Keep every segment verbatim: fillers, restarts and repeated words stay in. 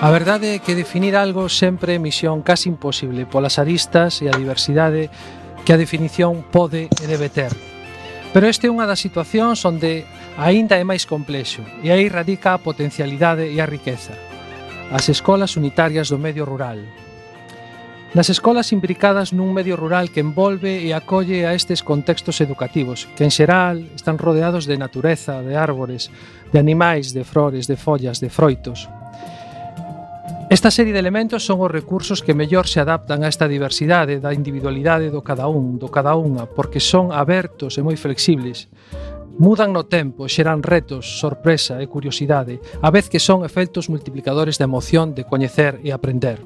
A verdade é que definir algo sempre é misión casi imposible polas aristas e a diversidade que a definición pode e debe ter. Pero este é unha das situacións onde aínda é máis complexo e aí radica a potencialidade e a riqueza. As escolas unitarias do medio rural. Nas escolas imbricadas nun medio rural que envolve e acolle a estes contextos educativos, que en xeral están rodeados de natureza, de árbores, de animais, de flores, de follas, de froitos. Esta serie de elementos son os recursos que mellor se adaptan a esta diversidade da individualidade do cada un, do cada unha, porque son abertos e moi flexibles. Mudan no tempo, xeran retos, sorpresa e curiosidade, a vez que son efectos multiplicadores da emoción de coñecer e aprender.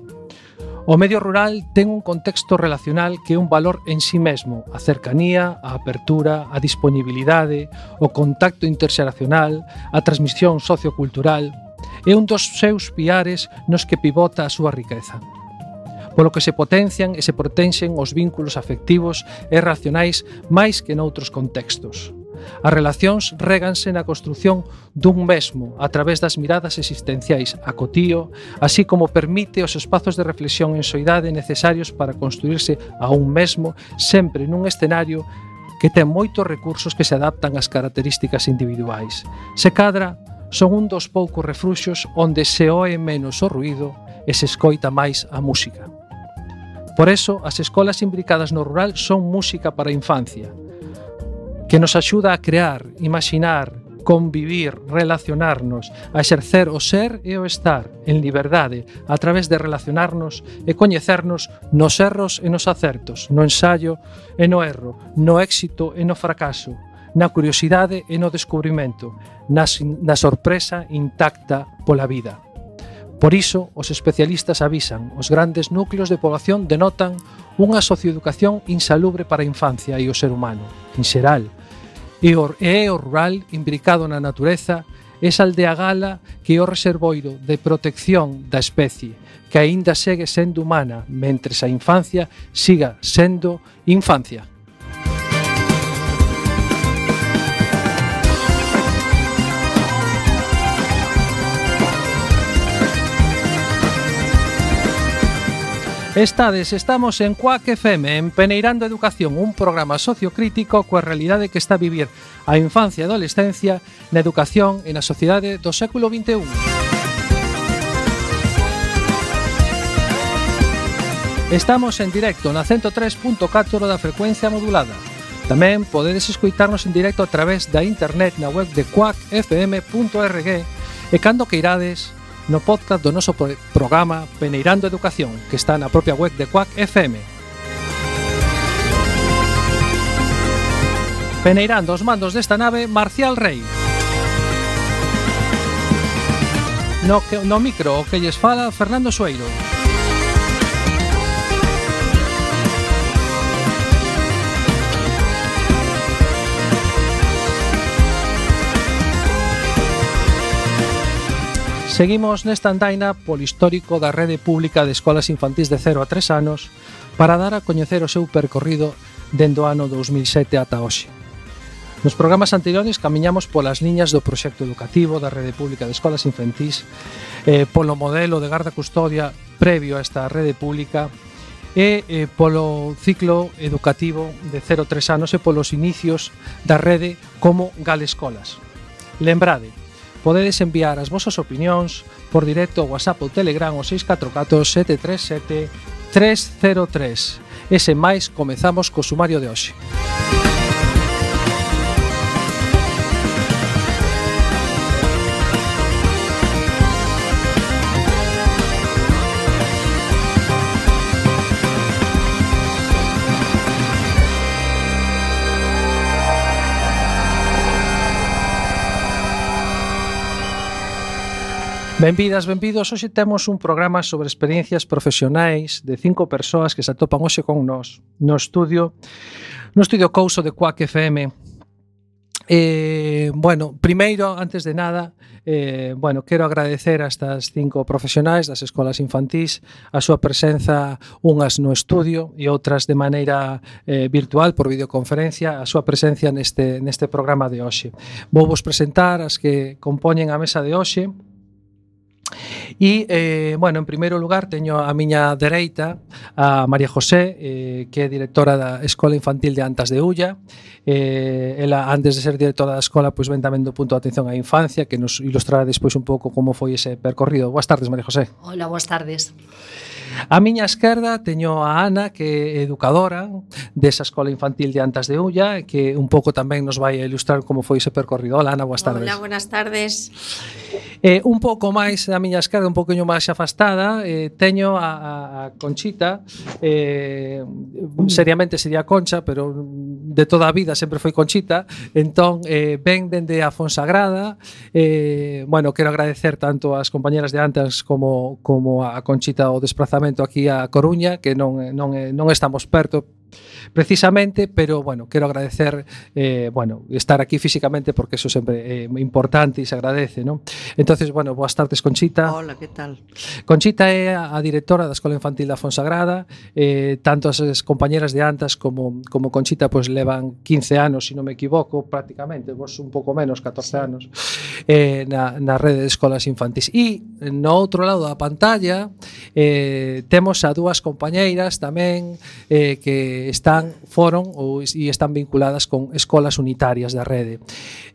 O medio rural ten un contexto relacional que é un valor en sí mesmo, a cercanía, a apertura, a disponibilidade, o contacto interxeracional, a transmisión sociocultural. É un dos seus piares nos que pivota a súa riqueza. Polo que se potencian e se protexen os vínculos afectivos e racionais máis que noutros contextos. As relacións réganse na construción dun mesmo a través das miradas existenciais a cotío, así como permite os espazos de reflexión en soidade necesarios para construirse a un mesmo sempre nun escenario que ten moitos recursos que se adaptan ás características individuais. Se cadra, son un dos poucos refluxos onde se oe menos o ruído e se escoita máis a música. Por eso, as escolas imbricadas no rural son música para a infancia, que nos axuda a crear, imaginar, convivir, relacionarnos, a exercer o ser e o estar en liberdade a través de relacionarnos e coñecernos nos erros e nos acertos, no ensaio e no erro, no éxito e no fracaso, na curiosidade e no descubrimento, na, na sorpresa intacta pola vida. Por iso, os especialistas avisan, os grandes núcleos de poboación denotan unha socioeducación insalubre para a infancia e o ser humano, en xeral, e é o rural imbricado na natureza, esa aldea gala que é o reservoiro de protección da especie, que aínda segue sendo humana, mentres a infancia siga sendo infancia. Estades, estamos en Cuac F M, en Peneirando Educación, un programa sociocrítico coa realidade que está a vivir a infancia e adolescencia na educación e na sociedade do século vinte e un. Estamos en directo na ciento tres punto catro da frecuencia modulada. Tamén podedes escoitarnos en directo a través da internet na web de cuac f m punto org e cando queirades no podcast do noso programa Peneirando Educación, que está na propia web de Cuac F M. Peneirando os mandos desta nave, Marcial Rei. No, no micro o que lles fala, Fernando Sueiro. Seguimos nesta andaina polo histórico da rede pública de escolas infantís de cero a tres anos para dar a coñecer o seu percorrido dende o ano dous mil sete ata hoxe. Nos programas anteriores camiñamos polas liñas do proxecto educativo da rede pública de escolas infantís, eh, polo modelo de garda custodia previo a esta rede pública e eh, polo ciclo educativo de cero a tres anos e polos inicios da rede como Galescolas. Lembrade, podedes enviar as vosas opinións por directo ao WhatsApp ou Telegram ao seis catro catro sete tres sete tres cero tres. E sen máis, comezamos co sumario de hoxe. Benvidas, benvidos. Hoxe temos un programa sobre experiencias profesionais de cinco persoas que se atopan hoxe con nós no estudio no estudio Couso de Cuac F M. Eh, bueno, primeiro, antes de nada, eh, bueno, quero agradecer a estas cinco profesionais das escolas infantís a súa presenza, unhas no estudio e outras de maneira eh, virtual por videoconferencia, a súa presencia neste, neste programa de hoxe. Vou vos presentar as que compoñen a mesa de hoxe. E, eh, bueno, en primeiro lugar teño a miña dereita a María José, eh, que é directora da Escola Infantil de Antas de Ulla. Eh, ela, antes de ser directora da escola, pois ven tamén do punto de atención á infancia, que nos ilustrará despois un pouco como foi ese percorrido. Boas tardes, María José. Hola, boas tardes. A miña esquerda teño a Ana, que é educadora desa Escola Infantil de Antas de Ulla, que un pouco tamén nos vai a ilustrar como foi ese percorrido. Hola, Ana, boas tardes. Hola, buenas tardes. Eh, un pouco máis a miña esquerda, un pouquinho máis afastada, eh, teño a, a Conchita, eh, seriamente sería Concha, pero de toda a vida sempre foi Conchita, entón eh, ven dende a Fonsagrada. Eh, bueno, quero agradecer tanto ás compañeras de Antas como, como a Conchita o desplazamento aquí a Coruña, que non, non, non estamos perto precisamente, pero bueno, quero agradecer eh, bueno, estar aquí físicamente, porque eso sempre é importante e se agradece, ¿no? Entonces, bueno, boas tardes, Conchita. Hola, que tal? Conchita é a directora da Escola Infantil da Fonsagrada. Eh, tanto as compañeras de Antas como, como Conchita pues levan quince anos, se si non me equivoco, prácticamente, vos un pouco menos, catorce anos, eh, na, na rede de escolas infantis. E no outro lado da pantalla eh, temos a dúas compañeiras tamén eh, que están, foron ou, e están vinculadas con escolas unitarias da rede.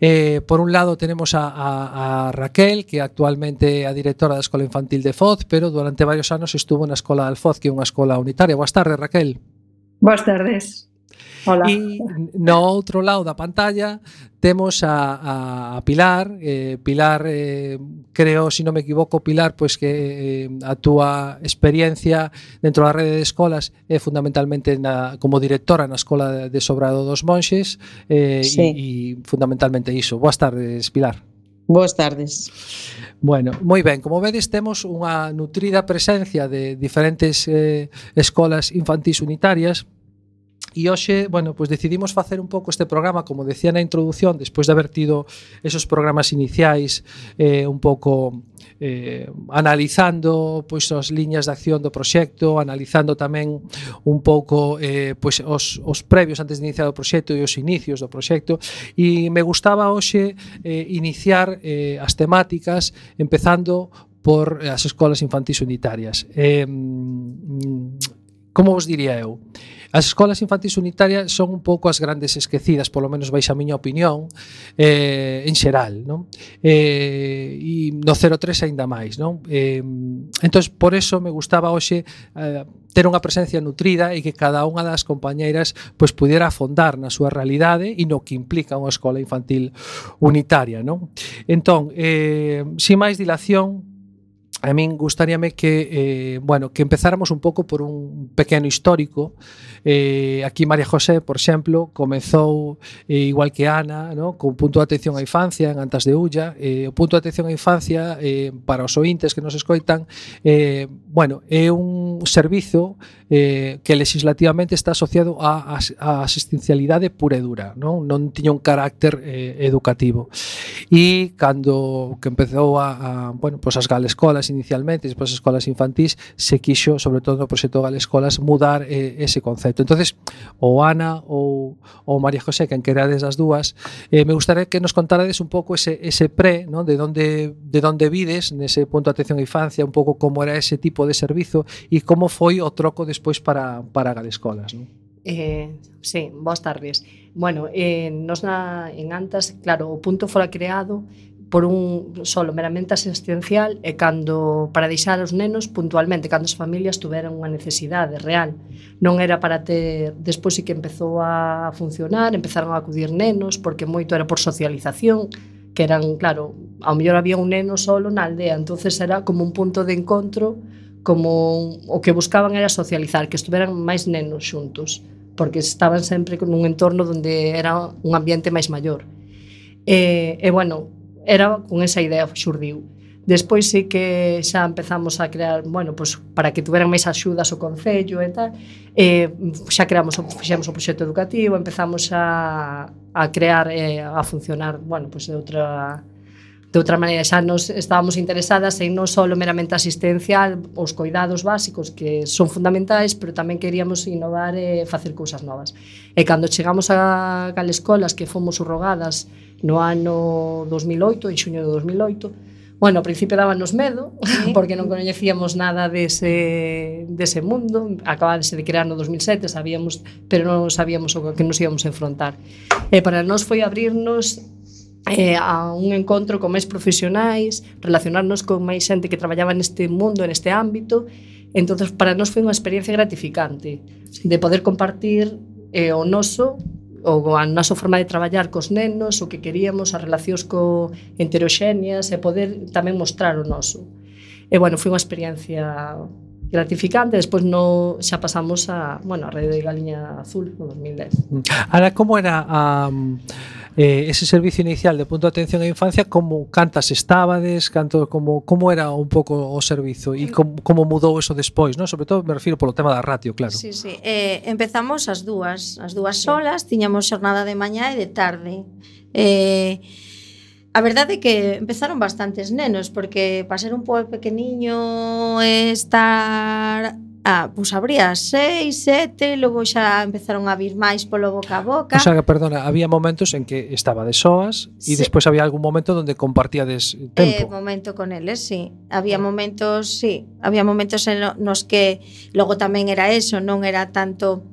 Eh, por un lado tenemos a, a, a Raquel, que actualmente é a directora da Escola Infantil de Foz, pero durante varios anos estuvo na Escola de Alfoz, que é unha escola unitaria. Boas tardes, Raquel. Boas tardes. Hola. E no outro lado da pantalla temos a, a Pilar. eh, Pilar, eh, creo, se si non me equivoco, Pilar, pois que eh, a túa experiencia dentro da rede de escolas é fundamentalmente na, como directora na Escola de Sobrado dos Monxes, eh, sí. e, e fundamentalmente iso. Boas tardes, Pilar. Boas tardes. Bueno, moi ben, como vedes temos unha nutrida presencia de diferentes eh, escolas infantís unitarias. E hoxe, bueno, pues decidimos facer un pouco este programa, como decía na introducción, despois de haber tido esos programas iniciais eh, un pouco eh, analizando pois as liñas de acción do proxecto, analizando tamén un pouco eh, pois os, os previos antes de iniciar o proxecto e os inicios do proxecto, e me gustaba hoxe eh, iniciar eh, as temáticas empezando por as escolas infantís unitarias. Eh, como vos diría eu? As escolas infantís unitarias son un pouco as grandes esquecidas, polo menos vais a miña opinión, eh, en xeral, non? Eh, e no cero tres aínda máis, non? Eh, entón, por eso me gustaba hoxe eh, ter unha presencia nutrida e que cada unha das compañeiras pois pudiera afondar na súa realidade e no que implica unha escola infantil unitaria, non? Entón, eh, sin máis dilación, a min gustaríame que, eh, bueno, que empezáramos un pouco por un pequeno histórico. Eh, aquí María José, por exemplo, comezou eh, igual que Ana, ¿no? Con punto de atención á infancia en Antas de Ulla. Eh, o punto de atención á infancia, eh, para os ointes que nos escoitan, eh, bueno, é un servizo eh, que legislativamente está asociado á, á asistencialidade pura e dura, non, non tiña un carácter eh, educativo. E cando que empezou a, a bueno, pues as galescolas inicialmente, despois as escolas infantís, se quixo, sobre todo no proxecto Galescolas, mudar eh, ese concepto. Entonces, ou Ana ou, ou María José, quen querades as dúas, eh, me gustaría que nos contarades un pouco ese, ese pre, ¿no? de onde de onde vides nese punto de atención á infancia, un pouco como era ese tipo de servizo e como foi o troco despois para, para Galescolas, ¿no? Eh, sí, boas tardes. Bueno, eh, nos na, en Antas, claro, o punto fora creado por un solo meramente asistencial e cando para deixar os nenos puntualmente, cando as familias tuveran unha necesidade real. Non era para ter, despois sí que empezou a funcionar, empezaron a acudir nenos, porque moito era por socialización, que eran, claro, ao mellor había un neno solo na aldea, entonces era como un punto de encontro, como o que buscaban era socializar, que estuveran máis nenos xuntos, porque estaban sempre nun entorno onde era un ambiente máis maior. E, e bueno, era con esa idea xurdiu. Despois sí que xa empezamos a crear, bueno, pues para que tuveran máis axudas o concello e tal, eh, xa creamos, fixemos o proxecto educativo, empezamos a, a crear e eh, a funcionar, bueno, pues de outra de outra maneira, xa nos estábamos interesadas en non só meramente asistencial, os coidados básicos que son fundamentais, pero tamén queríamos innovar e facer cousas novas. E cando chegamos a Galescolas, que fomos subrogadas no ano dos mil oito, en xuño de dos mil oito, Bueno, ao principio dábanos medo, Sí. porque non coñecíamos nada dese, dese mundo. Acabábase de crear no dos mil sete, sabíamos, pero non sabíamos o que nos íbamos a enfrontar. E para nós foi abrirnos eh, a un encontro con máis profesionais, relacionarnos con máis xente que traballaba neste mundo, neste ámbito. Entonces, para nós foi unha experiencia gratificante de poder compartir eh, o noso ou a nosa forma de traballar cos nenos, o que queríamos, as relacións co heteroxéneas e poder tamén mostrar o noso. E, bueno, foi unha experiencia gratificante. Despois no, xa pasamos a, bueno, a Rede de Galiña Azul no dos mil dez. Ahora, como era um, eh, ese servicio inicial de punto de atención á infancia? Como cantas estábades? Canto, como, como era un pouco o servizo? E como, como mudou eso despois, non? Sobre todo me refiro polo tema da ratio, claro. Sí, sí. Eh, empezamos as dúas, as dúas solas, tiñamos xornada de mañá e de tarde. Eh, a verdade é que empezaron bastantes nenos, porque para ser un pouco pequeniño estar... Ah, pois abría seis, sete, logo xa empezaron a vir máis polo boca a boca. O sea, perdona, había momentos en que estaba de soas e Sí. despois había algún momento donde compartíades Eh, tempo. momento con eles, sí. Había momentos, sí, había momentos en lo- nos que logo tamén era eso, non era tanto,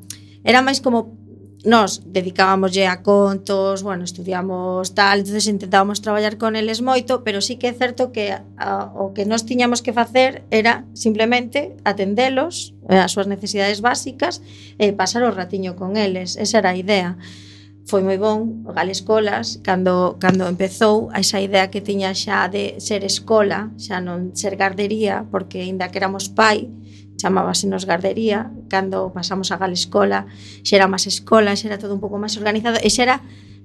era máis como nós dedicábamoslle a contos, bueno, estudiamos tal, entonces intentábamos traballar con eles moito, pero sí que é certo que a, o que nós tiñamos que facer era simplemente atendelos, eh, as súas necesidades básicas e pasar o ratiño con eles, esa era a idea. Foi moi bon o Gale Escolas cando, cando empezou a esa idea que tiña xa de ser escola, xa non ser gardería, porque aínda que éramos pai, chamábasenos gardería. Cando pasamos a Gale Escola xa era máis escola, xa era todo un pouco máis organizado, e xa era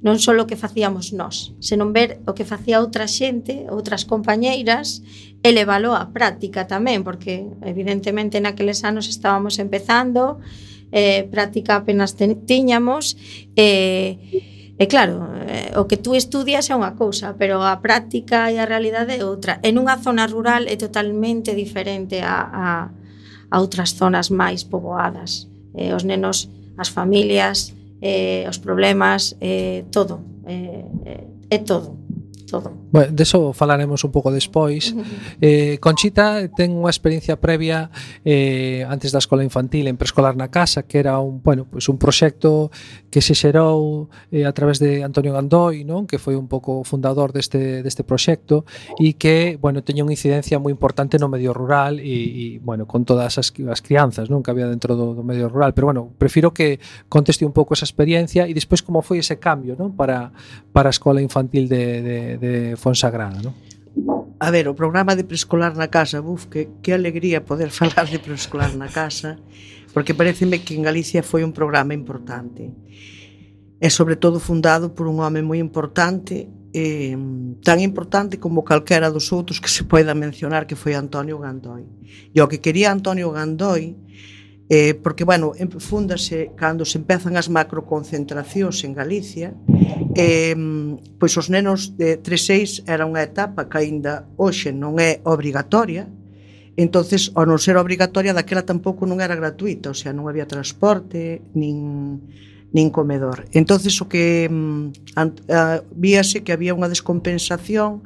non só o que facíamos nós, senón ver o que facía outra xente, outras compañeiras, e leválo á práctica tamén, porque evidentemente naqueles anos estábamos empezando, eh, práctica apenas ten, tiñamos, e, e claro, eh, o que tú estudias é unha cousa, pero a práctica e a realidade é outra. En unha zona rural é totalmente diferente a, a, a outras zonas máis poboadas. Eh, os nenos, as familias, eh, os problemas, eh, todo, eh, eh, é todo, todo. Bueno, deso falaremos un pouco despois. Eh, Conchita ten unha experiencia previa eh, antes da escola infantil en Preescolar na Casa, que era un, bueno, pues un proxecto que se xerou eh, a través de Antonio Gandoi, non? Que foi un pouco fundador deste, deste proxecto e que, bueno, teña unha incidencia moi importante no medio rural e, e bueno, con todas as, as crianzas, non? Que había dentro do, do medio rural, pero bueno, prefiro que conteste un pouco esa experiencia e despois como foi ese cambio, non? Para, para a escola infantil de, de, de Fonsagrada, non? A ver, o programa de Preescolar na Casa, buf, que, que alegría poder falar de Preescolar na Casa, porque pareceme que en Galicia foi un programa importante. E sobre todo fundado por un home moi importante, eh, tan importante como calquera dos outros que se poida mencionar, que foi Antonio Gandoi. E o que quería Antonio Gandoi, eh, porque, bueno, fúndase cando se empezan as macroconcentracións en Galicia, eh, pois os nenos de tres seis era unha etapa que aínda hoxe non é obrigatoria, entonces, ao non ser obrigatoria, daquela tampouco non era gratuita, o sea, non había transporte, nin, nin comedor. Entonces, o que ant, a, víase que había unha descompensación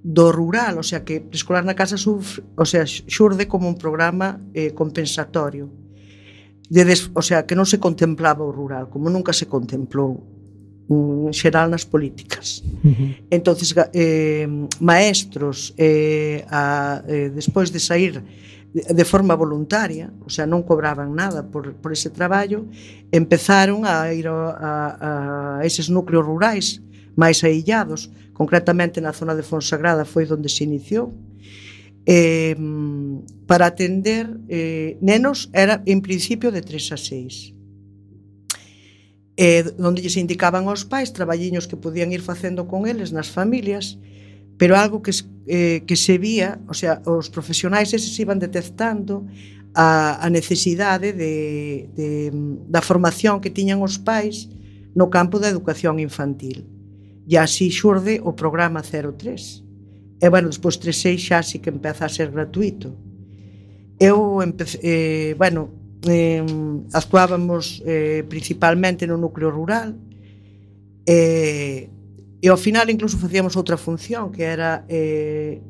do rural, o sea, que Preescolar na Casa sufre, o sea, xurde como un programa eh, compensatorio. De des, o sea, que non se contemplaba o rural, como nunca se contemplou en xeral nas políticas. Uh-huh. Entonces, eh, maestros, eh, a, eh, despois de sair de, de forma voluntaria, o sea, non cobraban nada por, por ese traballo, empezaron a ir a, a, a eses núcleos rurais máis aillados, concretamente na zona de Fonsagrada foi onde se iniciou, eh, para atender eh, nenos, era en principio de tres a seis, eh, onde se indicaban aos pais traballiños que podían ir facendo con eles nas familias, pero algo que, eh, que se vía, o sea, os profesionais eses iban detectando a, a necesidade de, de, da formación que tiñan os pais no campo da educación infantil, e así xurde o programa cero tres. E, bueno, despois tres seis xa sí que empeza a ser gratuito. Eu, empecé, eh, bueno, eh, actuábamos eh, principalmente no núcleo rural, eh, e ao final incluso facíamos outra función, que era eh,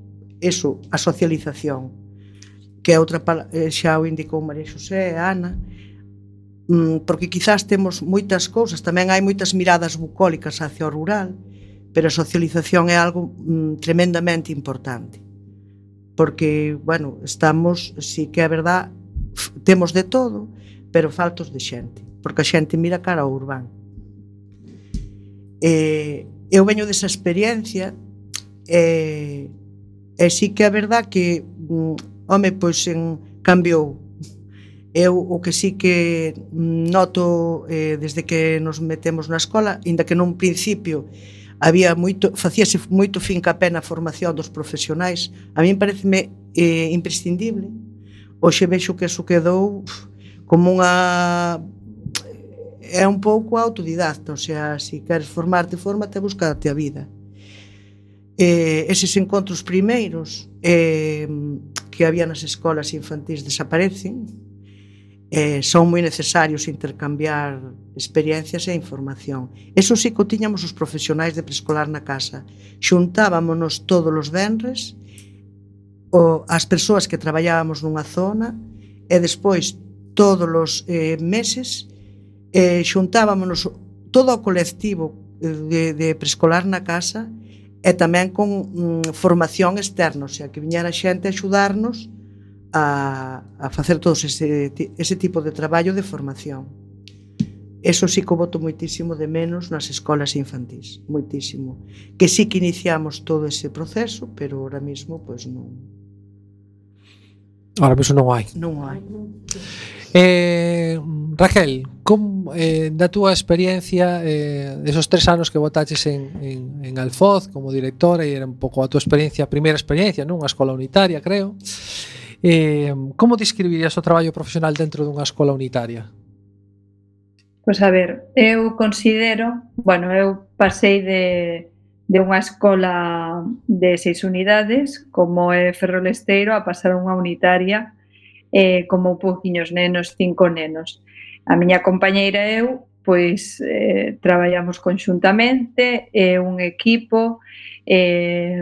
eso, a socialización, que é outra pala- eh, xa o indicou María Xosé, Ana, mm, porque quizás temos moitas cousas, tamén hai moitas miradas bucólicas hacia o rural, pero a socialización é algo mm, tremendamente importante. Porque, bueno, estamos, sí que é verdad, f- temos de todo, pero faltos de xente, porque a xente mira cara ao urbano. Eh, eu veño desa experiencia e, e sí que é verdad que mm, home, pois en, cambiou. Eu o que sí que noto eh, desde que nos metemos na escola, inda que nun principio había moito, facíase moito fincapé na formación dos profesionais, a min pareceme eh, imprescindible. Hoxe vexo que eso quedou uf, como unha... é un pouco autodidacta, o sea, se si queres formarte, fórmate, búscate a vida. Eh, eses encontros primeiros eh, que había nas escolas infantís desaparecen. Eh, son moi necesarios intercambiar experiencias e información. Eso sí que o tiñamos os profesionais de preescolar na casa. Xuntábamonos todos os venres, o, as persoas que traballábamos nunha zona, e despois todos os eh, meses eh, xuntábamonos todo o colectivo de, de preescolar na casa, e tamén con mm, formación externa, o sea, que viñera xente a axudarnos a, a facer todo ese, ese tipo de traballo de formación. Eso sí que o boto moitísimo de menos nas escolas infantís, moitísimo. Que sí que iniciamos todo ese proceso, pero ahora mismo, pois pues, non. Ahora mesmo non hai. Non hai. Eh, Raquel, como, eh, da túa experiencia eh, esos tres anos que botaches en, en, en Alfoz como directora, e era un pouco a túa experiencia, a primeira experiencia nunha escola unitaria, creo, eh, como describirías o traballo profesional dentro dunha escola unitaria? Pois a ver, eu considero, bueno, eu pasei de, de unha escola de seis unidades, como é Ferrolesteiro, a pasar a unha unitaria, eh, como pouquiños nenos, cinco nenos. A miña compañeira e eu, pois, eh, traballamos conxuntamente, é un equipo, eh,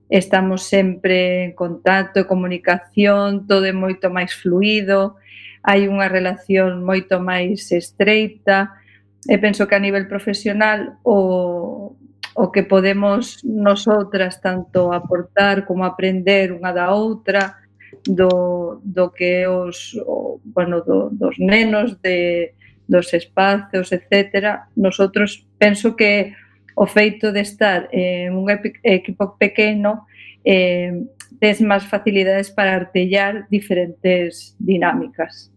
estamos sempre en contacto e comunicación, todo é moito máis fluido, hai unha relación moito máis estreita, e penso que a nivel profesional o, o que podemos nosotras tanto aportar como aprender unha da outra do, do que os o, bueno, do, dos nenos, de, dos espacios, etcétera. Nosotros penso que o feito de estar en un equipo pequeno eh, tes máis facilidades para artellar diferentes dinámicas.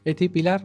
E ti, Pilar?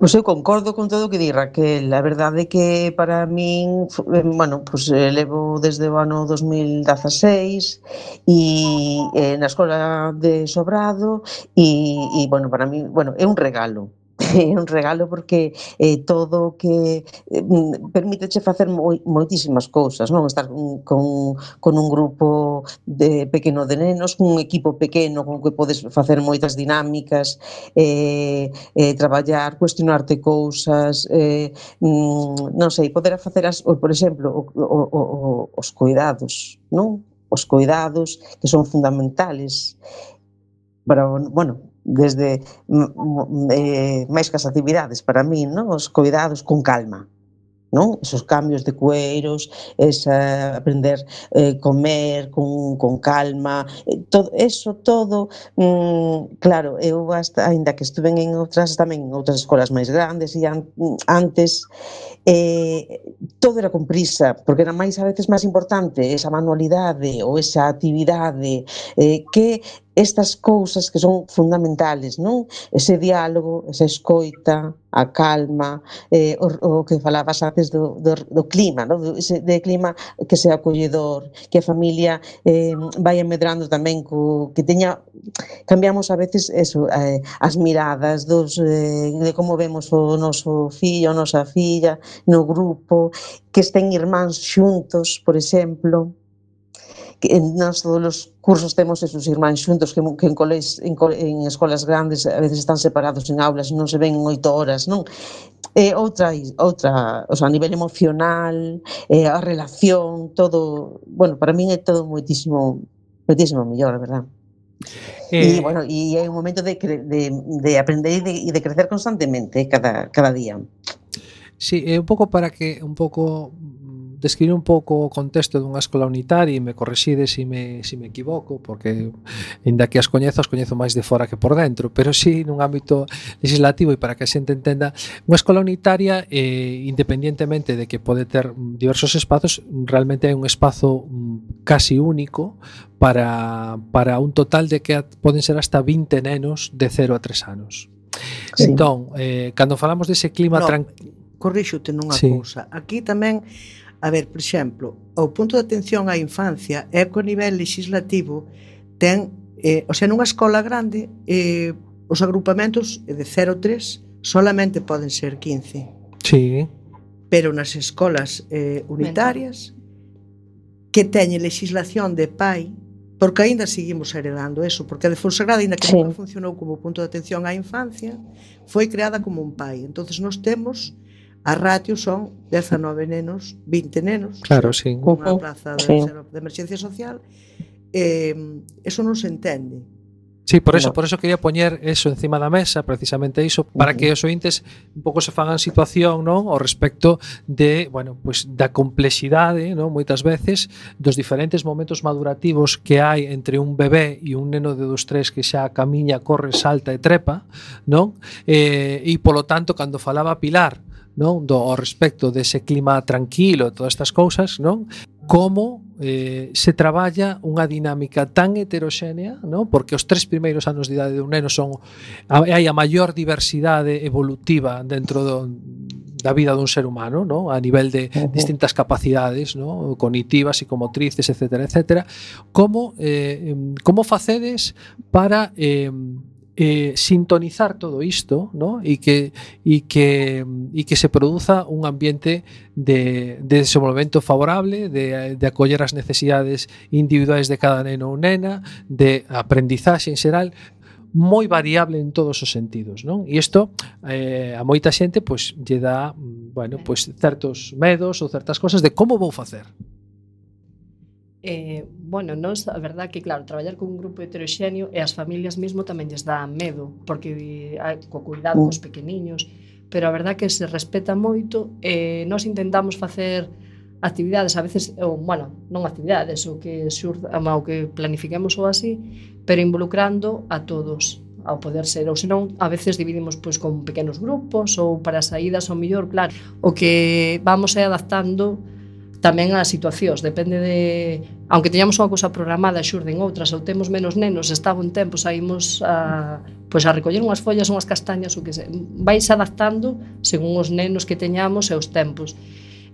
Pois eu concordo con todo o que di Raquel. A verdade é que para min, bueno, pois levo desde o ano dos mil dezaseis e eh, na escola de Sobrado e, e bueno, para min, bueno, é un regalo. É un regalo porque eh, todo o que eh, permíteche facer moi, moitísimas cousas, non? Estar con, con un grupo de pequeno de nenos, un equipo pequeno con que podes facer moitas dinámicas, eh, eh, traballar, cuestionarte cousas, eh, non sei, poder facer, as, por exemplo, o, o, o, os cuidados, non? Os cuidados que son fundamentales para, bueno, desde eh, máis que as actividades para min, non? Os cuidados con calma, non? Esos cambios de cueiros, esa aprender eh, comer con, con calma, eh, todo eso todo, mm, claro, eu hasta, ainda que estuve en outras tamén en outras escolas máis grandes e an, antes eh, todo era con prisa, porque era máis a veces máis importante esa manualidade ou esa actividade eh, que estas cousas que son fundamentales, non? Ese diálogo, esa escoita, a calma, eh, o, o que falabas antes do, do, do clima, non? Ese de clima que sea acolledor, que a familia eh, vai medrando tamén co, que teña, cambiamos a veces eso, eh, as miradas dos, eh, de como vemos o noso fillo, a nosa filla no grupo, que estén irmáns xuntos, por exemplo, que en nos todos os cursos temos esos irmáns xuntos que, que en, coles, en, en escolas grandes a veces están separados en aulas, non se ven en oito horas, non? É outra, outra, o sea, a nivel emocional, eh, a relación, todo, bueno, para min é todo moitísimo, moitísimo mellor, a verdad. E, eh, bueno, e é un momento de, de, de aprender e de, de crecer constantemente cada, cada día. Sí, é un pouco para que un pouco describir un pouco o contexto dunha escola unitaria e me correxide se me, se me equivoco, porque ainda que as coñezo, as coñezo máis de fora que por dentro, pero sí nun ámbito legislativo e para que a xente entenda, unha escola unitaria, eh, independientemente de que pode ter diversos espazos, realmente é un espazo casi único para, para un total de que poden ser hasta vinte nenos de cero a tres anos. Sí. Entón, eh, cando falamos dese clima no, tranquilo... Corríxote nunha sí. cousa. Aquí tamén, a ver, por exemplo, o punto de atención á infancia é que o nivel legislativo ten, eh, o sea, nunha escola grande, eh, os agrupamentos de cero a tres solamente poden ser quince. Sí. Pero nas escolas eh, unitarias que teñen legislación de pai, porque aínda seguimos heredando eso, porque a de Fonsagrada, aínda que sí. nunca funcionou como punto de atención á infancia, foi creada como un pai. Entonces nós temos, a ratio son dezanove nenos, vinte nenos, claro, sí. unha plaza de, sí. de emerxencia social, eh, eso non se entende. Sí, por eso, no. por eso quería poñer eso encima da mesa, precisamente iso, para uh -huh. que os ointes un pouco se fagan situación, non, ao respecto de, bueno, pues da complexidade, non, moitas veces dos diferentes momentos madurativos que hai entre un bebé e un neno de dos tres que xa camiña, corre, salta e trepa, non? Eh, e polo tanto, cando falaba Pilar, non, do ao respecto dese clima tranquilo, todas estas cousas, non? Como eh, se traballa unha dinámica tan heteroxénea, non? Porque os tres primeiros anos de idade dun neno son hai a maior diversidade evolutiva dentro do, da vida dun ser humano, non? A nivel de uh-huh. distintas capacidades, non? Cognitivas, psicomotrices, etcétera, etcétera. Como eh, como facedes para eh, Eh, sintonizar todo isto, ¿no? y que y que y que se produza un ambiente de, de desenvolvemento favorable, de, de acoller as necesidades individuais de cada neno ou nena, de aprendizaxe en xeral, moi variable en todos os sentidos, non? E isto eh, a moita xente pois lle dá, bueno, pois certos medos ou certas cosas de como vou facer. Eh, bueno, nos, a verdad que claro, traballar con un grupo heteroxéneo e as familias mesmo tamén lles dá medo, porque hai co cuidado cos pequeniños, pero a verdad que se respeta moito e eh, nós intentamos facer actividades, a veces, ou, bueno, non actividades, o que xurda, o que planifiquemos ou así, pero involucrando a todos, ao poder ser, ou senón, a veces dividimos pois con pequenos grupos ou para saídas, ou mellor, claro, o que vamos é adaptando tamén as situacións, depende de, aunque teñamos unha cousa programada, xurden outras, ou temos menos nenos, está un tempo, saímos a, pois a recoller unhas follas, unhas castañas, o que se, vais adaptando según os nenos que teñamos e os tempos.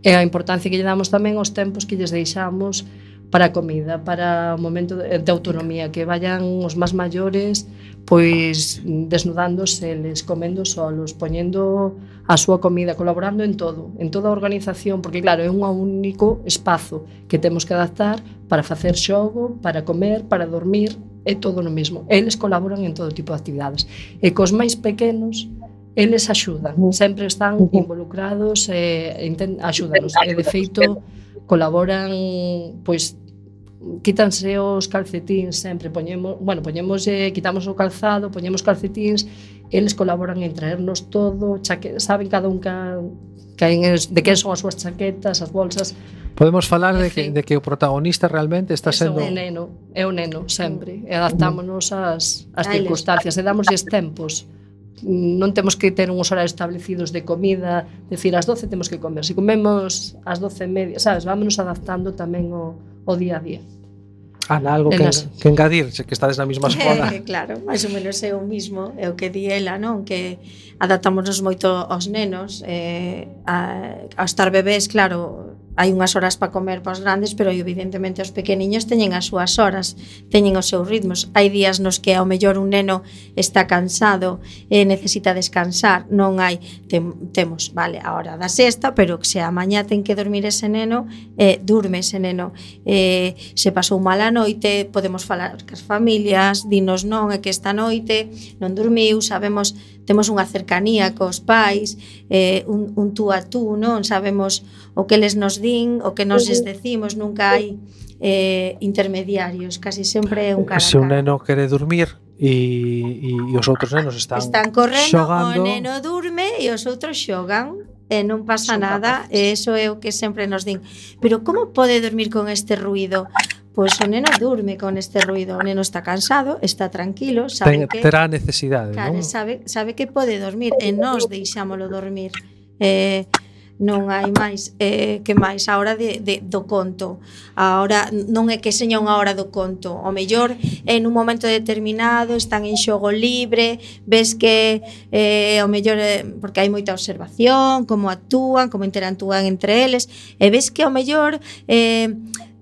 E a importancia que lle damos tamén aos tempos que lles deixamos para a comida, para o momento de, de autonomía, que vayan os máis maiores pois desnudándose, eles comendo solos, poñendo a súa comida, colaborando en todo, en toda a organización, porque claro, é un único espazo que temos que adaptar para facer xogo, para comer, para dormir, é todo no mesmo. Eles colaboran en todo tipo de actividades. E cos máis pequenos, eles axudan, sempre están involucrados e axúdanos. E de feito, colaboran, pois, quítanse os calcetíns sempre, poñemos, bueno, poñemos, eh, quitamos o calzado, poñemos calcetíns, eles colaboran en traernos todo, chaque, saben cada un ca, ca, de que son as súas chaquetas, as bolsas. Podemos falar de que, de que o protagonista realmente está sendo... É o neno, é o neno sempre, e adaptámonos ás, ás circunstancias, e damosles tempos. Non temos que ter uns horarios establecidos de comida, decir, ás doce temos que comer, se comemos ás doce e media, sabes, vámonos adaptando tamén o, o día a día. Ana, algo que, que engadir, que estades na mesma escola. Eh, claro, máis ou menos é o mismo, é o que di ela, non? Que adaptámonos moito aos nenos, eh, a, a estar bebés, claro, hai unhas horas para comer para os grandes, pero evidentemente os pequeniños teñen as súas horas, teñen os seus ritmos. Hai días nos que ao mellor un neno está cansado e necesita descansar, non hai tem, temos, vale, a hora da sexta, pero que se a mañá ten que dormir ese neno, eh, durme ese neno. Eh, se pasou mala noite, podemos falar cas familias, dinos non, é que esta noite non dormiu, sabemos, temos unha cercanía cos pais, eh, un, un tú a tú, non? Sabemos o que eles nos din, o que nos les decimos, nunca hai eh, intermediarios, casi sempre é un cara a cara. Se un neno quere dormir e, e os outros nenos están, están correndo, xogando, o neno durme e os outros xogan e non pasa Son nada, capaces. e iso é o que sempre nos din. Pero como pode dormir con este ruido? Pois o neno durme con este ruido, o neno está cansado, está tranquilo, sabe ten, que terá necesidade, claro, non? sabe, sabe que pode dormir e nós deixámolo dormir. Eh, non hai máis, eh, que máis a hora de, de, do conto. A hora, non é que seña unha hora do conto, o mellor en un momento determinado están en xogo libre, ves que eh, o mellor eh, porque hai moita observación, como actúan, como interactúan entre eles, e ves que o mellor eh,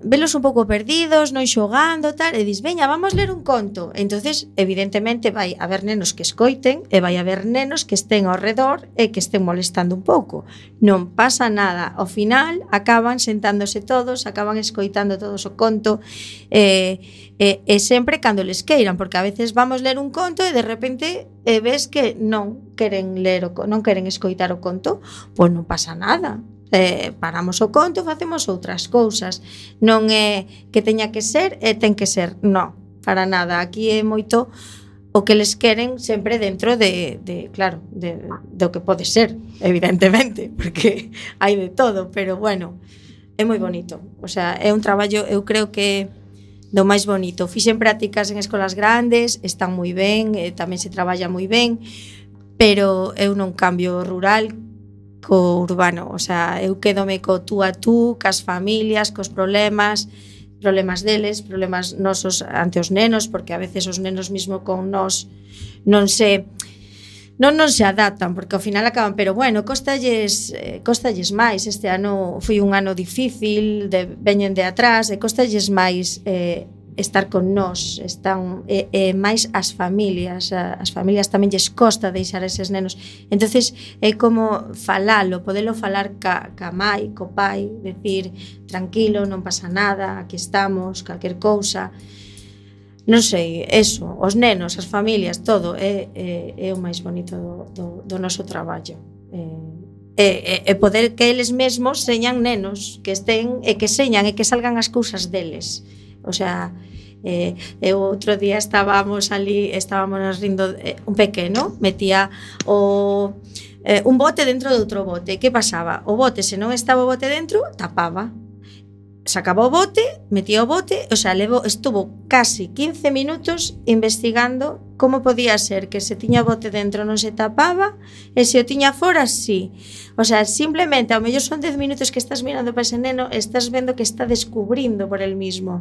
velos un pouco perdidos, non xogando, tal, e dis, veña, vamos ler un conto. Entonces, evidentemente, vai haber nenos que escoiten e vai haber nenos que estén ao redor e que estén molestando un pouco. Non pasa nada. Ao final, acaban sentándose todos, acaban escoitando todos o conto, e, e, e sempre cando les queiran, porque a veces vamos ler un conto e de repente e ves que non queren ler o, non queren escoitar o conto, pois non pasa nada. Eh, paramos o conto, facemos outras cousas. Non é que teña que ser e ten que ser, non, para nada. Aquí é moito o que les queren sempre dentro de, de claro, de, do que pode ser, evidentemente, porque hai de todo, pero bueno, é moi bonito. O sea, é un traballo, eu creo que do máis bonito. Fixen prácticas en escolas grandes, están moi ben, eh, tamén se traballa moi ben, pero eu non cambio rural co urbano, o sea, eu quédome co tú a tú, cas familias, cos problemas, problemas deles, problemas nosos ante os nenos, porque a veces os nenos mismo con nós non se non non se adaptan, porque ao final acaban, pero bueno, costalles eh, costalles máis, este ano foi un ano difícil, de, veñen de atrás, e costalles máis eh, estar con nós, están e, e máis as familias, as familias tamén lles costa deixar eses nenos. Entonces é como falalo, podelo falar ca, ca mai, co pai, decir, tranquilo, non pasa nada, aquí estamos, calquer cousa. Non sei, eso, os nenos, as familias, todo é, é, é o máis bonito do, do, do noso traballo. E, e, e poder que eles mesmos señan nenos, que estén e que señan e que salgan as cousas deles. O sea, eh, eu outro día estábamos ali, estábamos rindo, eh, un pequeno metía o, eh, un bote dentro de outro bote. Que pasaba? O bote, se non estaba o bote dentro, tapaba. Sacaba o bote, metía o bote, o sea, levo, estuvo casi quince minutos investigando como podía ser que se tiña o bote dentro non se tapaba e se o tiña fora, sí. O sea, simplemente, ao mellor son dez minutos que estás mirando para ese neno e estás vendo que está descubrindo por el mismo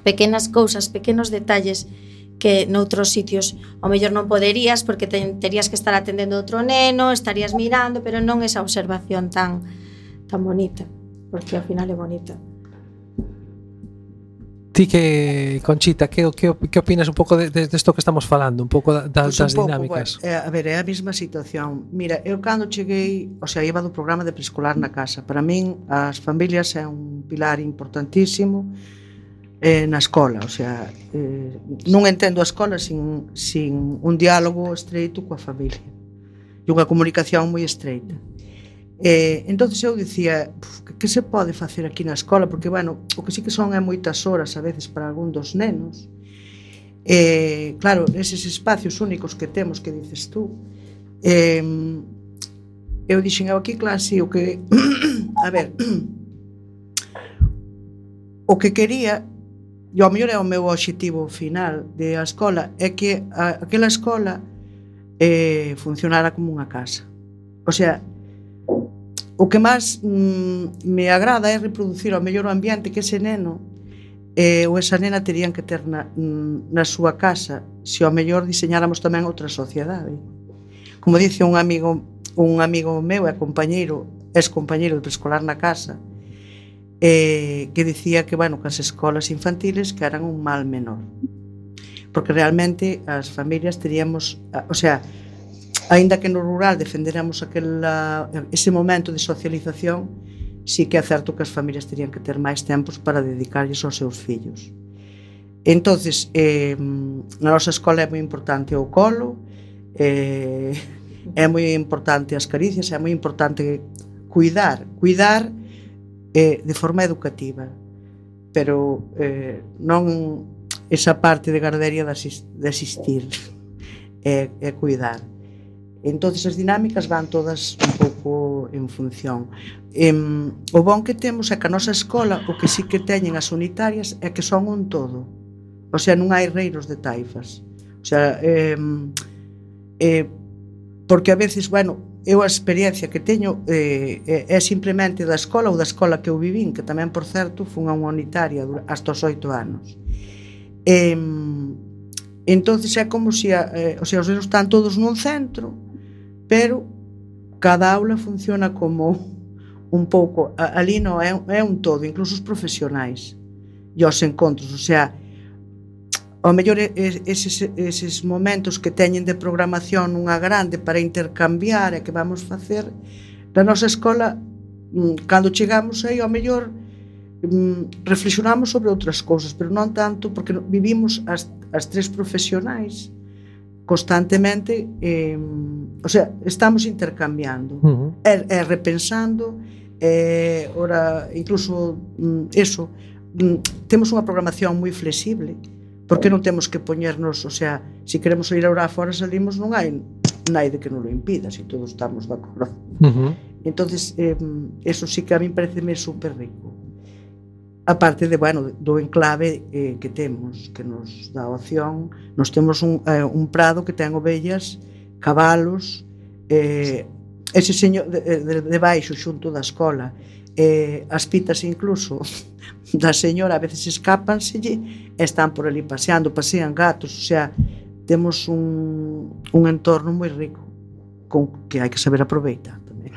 pequenas cousas, pequenos detalles que noutros sitios ao mellor non poderías porque te, terías que estar atendendo outro neno, estarías mirando, pero non esa observación tan tan bonita, porque ao final é bonita. Ti que, Conchita, que, que, que opinas un pouco de, de, de esto que estamos falando, un pouco da, da, Pues das un pouco, dinámicas? Bueno, a ver, é a mesma situación. Mira, eu cando cheguei, o sea, iba do programa de preescolar na casa. Para min, as familias é un pilar importantísimo eh, na escola, o sea, eh, non entendo a escola sin, sin un diálogo estreito coa familia e unha comunicación moi estreita. Eh, entonces eu dicía, que, que se pode facer aquí na escola, porque, bueno, o que sí que son é moitas horas a veces para algún dos nenos. Eh, claro, eses espacios únicos que temos, que dices tú, eh, eu dixen, eu aquí clase, o que a ver, o que quería, e ao mellor é o meu obxectivo final de a escola, é que a, aquela escola eh, funcionara como unha casa. O sea, o que máis mm, me agrada é reproducir ao mellor o ambiente que ese neno eh, ou esa nena terían que ter na, na súa casa, se ao mellor diseñáramos tamén outra sociedade. Como dice un amigo un amigo meu e compañeiro, ex compañeiro de preescolar na casa, eh, que dicía que, bueno, que as escolas infantiles que eran un mal menor, porque realmente as familias teríamos, o sea, aínda que no rural defenderamos aquela, ese momento de socialización, sí que é certo que as familias terían que ter máis tempos para dedicarlles aos seus fillos. Entonces, eh, na nosa escola é moi importante o colo, eh, é moi importante as caricias, é moi importante cuidar, cuidar eh, de forma educativa, pero eh, non esa parte de gardería de, asist, de asistir, é, é cuidar. Entonces as dinámicas van todas un pouco en función. Eh, o bon que temos é que a nosa escola, o que sí que teñen as unitarias é que son un todo. O sea, non hai reiros de taifas. O sea, eh, eh, porque a veces, bueno, eu a experiencia que teño eh, é simplemente da escola ou da escola que eu vivín, que tamén, por certo, fun a unha unitaria hasta os oito anos. Eh, entonces é como se, eh, o sea, os nenos están todos nun centro, pero cada aula funciona como un pouco, ali non é, é un todo, incluso os profesionais e os encontros, o sea, ao mellor eses, eses momentos que teñen de programación nunha grande para intercambiar e que vamos facer na nosa escola, cando chegamos aí, ao mellor reflexionamos sobre outras cousas, pero non tanto, porque vivimos as, as tres profesionais constantemente, eh, o sea, estamos intercambiando, uh-huh. e, e repensando, e, ora, incluso eso, temos unha programación moi flexible, porque non temos que poñernos, o sea, se si queremos ir a orar fora salimos, non hai naide que non lo impida, se si todos estamos de acordo. Uh-huh. Entonces, eh, eso sí que a mí pareceme super rico. A parte de, bueno, do enclave eh, que temos, que nos dá opción, nos temos un, eh, un prado que ten ovellas, cabalos, eh, ese señor de, de, de baixo xunto da escola, eh, as pitas incluso da señora a veces escápanselle e están por ali paseando, pasean gatos, o sea, temos un, un entorno moi rico con que hai que saber aproveitar tamén.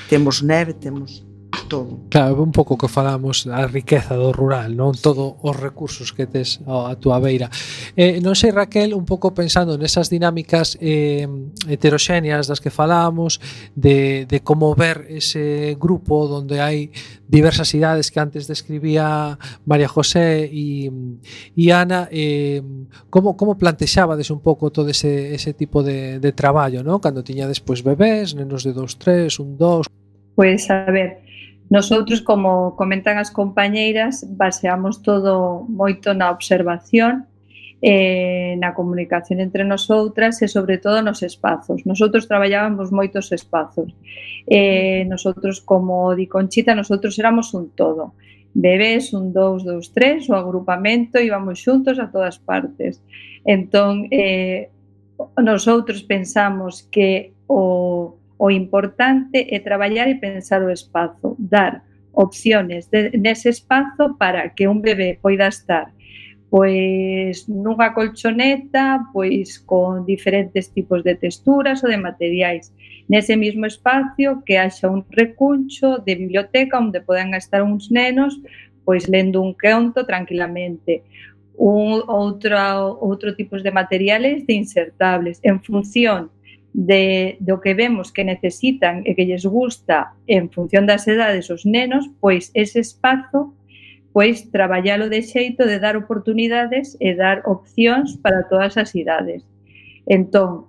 Temos neve, temos todo. Claro, un pouco que falamos a riqueza do rural, non todo os recursos que tes a túa beira. Eh, non sei, Raquel, un pouco pensando nesas dinámicas eh, heteroxéneas das que falamos, de, de como ver ese grupo onde hai diversas idades que antes describía María José e, e Ana, eh, como, como plantexabades un pouco todo ese, ese tipo de, de traballo, non? Cando tiñades pois bebés, nenos de dos, tres, un, dos... Pois, a ver, nosotros, como comentan as compañeiras, baseamos todo moito na observación, eh, na comunicación entre nosotras e, sobre todo, nos espazos. Nosotros traballábamos moitos espazos. Eh, nosotros, como di Conchita, nosotros éramos un todo. Bebés, un, dous, dous, tres, o agrupamento, íbamos xuntos a todas partes. Entón, eh, nosotros pensamos que o... o importante é traballar e pensar o espazo, dar opciones de, nese espazo para que un bebé poida estar pois nunha colchoneta, pois con diferentes tipos de texturas ou de materiais. Nese mesmo espacio que haxa un recuncho de biblioteca onde poden estar uns nenos pois lendo un conto tranquilamente. Un, outro, outro tipos de materiales de insertables en función de do que vemos que necesitan e que lles gusta en función das edades os nenos, pois ese espazo pois traballalo de xeito de dar oportunidades e dar opcións para todas as idades. Entón,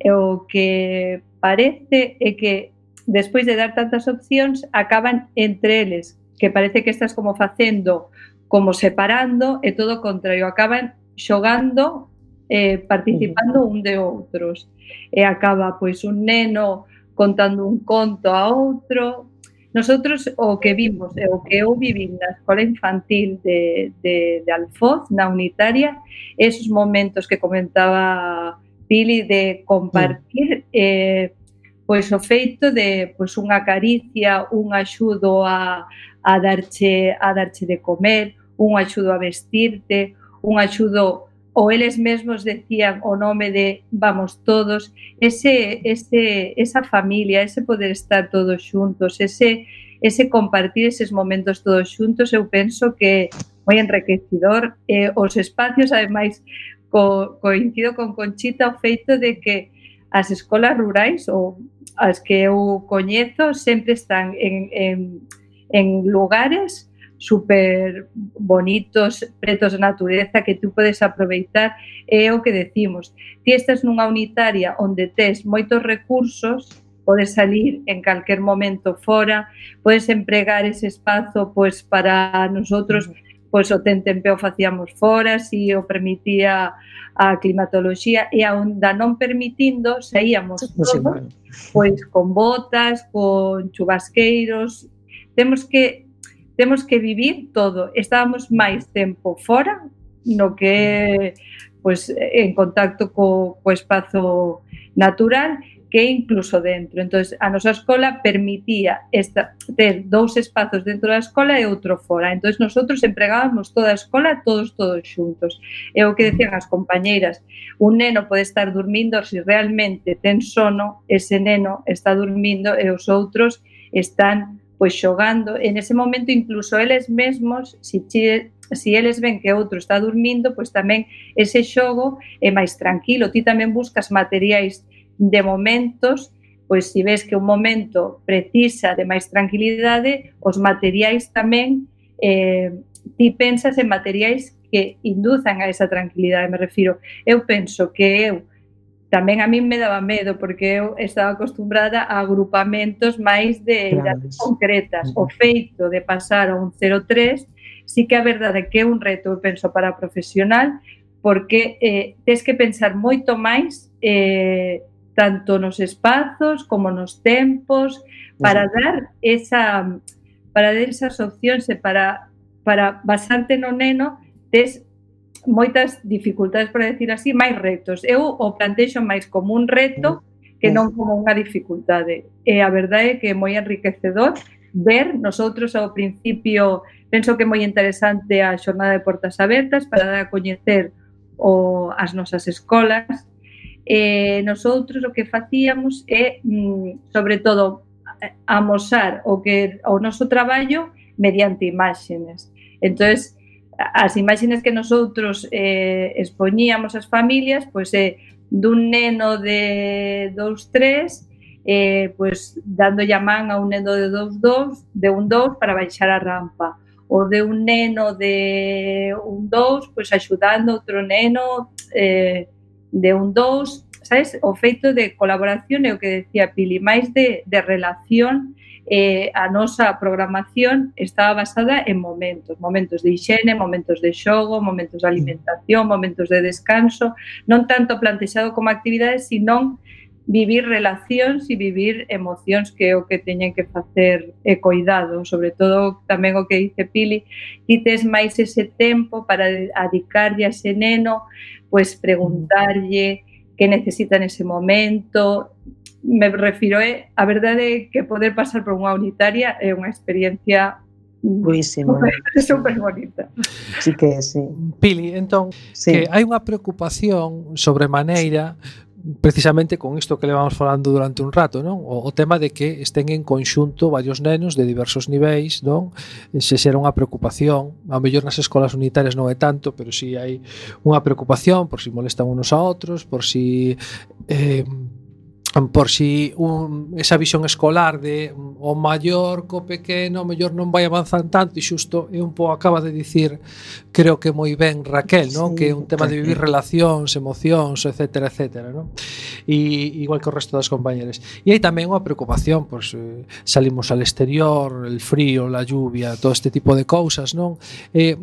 o que parece é que despois de dar tantas opcións acaban entre eles, que parece que estás como facendo, como separando, e todo o contrario, acaban xogando, eh, participando un de outros. E acaba pois un neno contando un conto a outro. Nosotros o que vimos e o que eu viví na escola infantil de, de, de Alfoz, na unitaria, esos momentos que comentaba Pili de compartir, eh, pois o feito de pois unha caricia, un axudo a, a, darche, a darche de comer, un axudo a vestirte, un axudo, ou eles mesmos decían o nome de vamos todos, ese, ese, esa familia, ese poder estar todos xuntos, ese, ese compartir eses momentos todos xuntos, eu penso que moi enriquecedor. Eh, os espacios, ademais, co, coincido con Conchita o feito de que as escolas rurais, ou as que eu coñezo, sempre están en, en, en lugares super bonitos, pretos de natureza, que tú podes aproveitar. É o que decimos, ti estás nunha unitaria onde tes moitos recursos, podes salir en calquer momento fora, podes empregar ese espazo pois, para nosotros, pois o tentempeo facíamos fora, si o permitía a climatoloxía, e aonda non permitindo, saíamos todos, pois con botas, con chubasqueiros. Temos que temos que vivir todo. Estábamos máis tempo fora no que pois, en contacto co, co espazo natural que incluso dentro. Entón, a nosa escola permitía esta, ter dous espazos dentro da escola e outro fora. Entón, nosotros empregábamos toda a escola, todos, todos xuntos. É o que decían as compañeiras. Un neno pode estar dormindo, se realmente ten sono, ese neno está dormindo e os outros están pois xogando. En ese momento, incluso eles mesmos, se si, si eles ven que outro está dormindo, pois tamén ese xogo é máis tranquilo. Ti tamén buscas materiais de momentos, pois se ves que un momento precisa de máis tranquilidade, os materiais tamén, eh, ti pensas en materiais que induzan a esa tranquilidade, me refiro. Eu penso que eu, tamén a mí me daba medo, porque eu estaba acostumbrada a agrupamentos máis de idades concretas. O feito de pasar a un cero tres, sí que a verdade que é un reto, eu penso, para a profesional, porque eh, tens que pensar moito máis eh, tanto nos espazos como nos tempos, para dar esa para dar esas opcións e para, para basarte no neno, tes moitas dificultades, para decir así, máis retos. Eu o plantexo máis como un reto que non como unha dificultade. E a verdade é que é moi enriquecedor ver nosotros ao principio, penso que é moi interesante a xornada de portas abertas para dar a coñecer o, as nosas escolas. E nosotros o que facíamos é, sobre todo, amosar o que o noso traballo mediante imágenes. Entonces, as imágenes que nosotros eh, expoñíamos ás familias, pois é dun neno de dous tres, eh, pois dando a man a un neno de dous dous, de un dous para baixar a rampa, ou de un neno de un dous, pois axudando outro neno eh, de un dous, sabes? O feito de colaboración é o que decía Pili, máis de, de relación. Eh, a nosa programación estaba basada en momentos, momentos de higiene, momentos de xogo, momentos de alimentación, momentos de descanso, non tanto plantexado como actividades, sino vivir relacións e vivir emocións, que é o que teñen que facer e cuidado, sobre todo tamén o que dice Pili, ti tes máis ese tempo para dedicarlle a ese neno, pois preguntarlle que necesita nese momento. Me refiro, é, a verdade é que poder pasar por unha unitaria é unha experiencia buísima, super bonita. Sí que é, sí. Pili, entón, sí. que hai unha preocupación sobremaneira precisamente con isto que levamos falando durante un rato, non? O, o tema de que estén en conxunto varios nenos de diversos niveis, non? Se xera unha preocupación, a mellor nas escolas unitarias non é tanto, pero si hai unha preocupación por si molestan unos a outros, por si eh, por si un, esa visión escolar de o maior co pequeno, o mellor non vai avanzar tanto, e xusto é un pouco acaba de dicir, creo que moi ben Raquel, non? Sí, que é un tema de vivir relacións, emocións, etcétera, etcétera, non? E igual que o resto das compañeras. E hai tamén unha preocupación, pois eh, salimos al exterior, el frío, la lluvia, todo este tipo de cousas, non? Eh,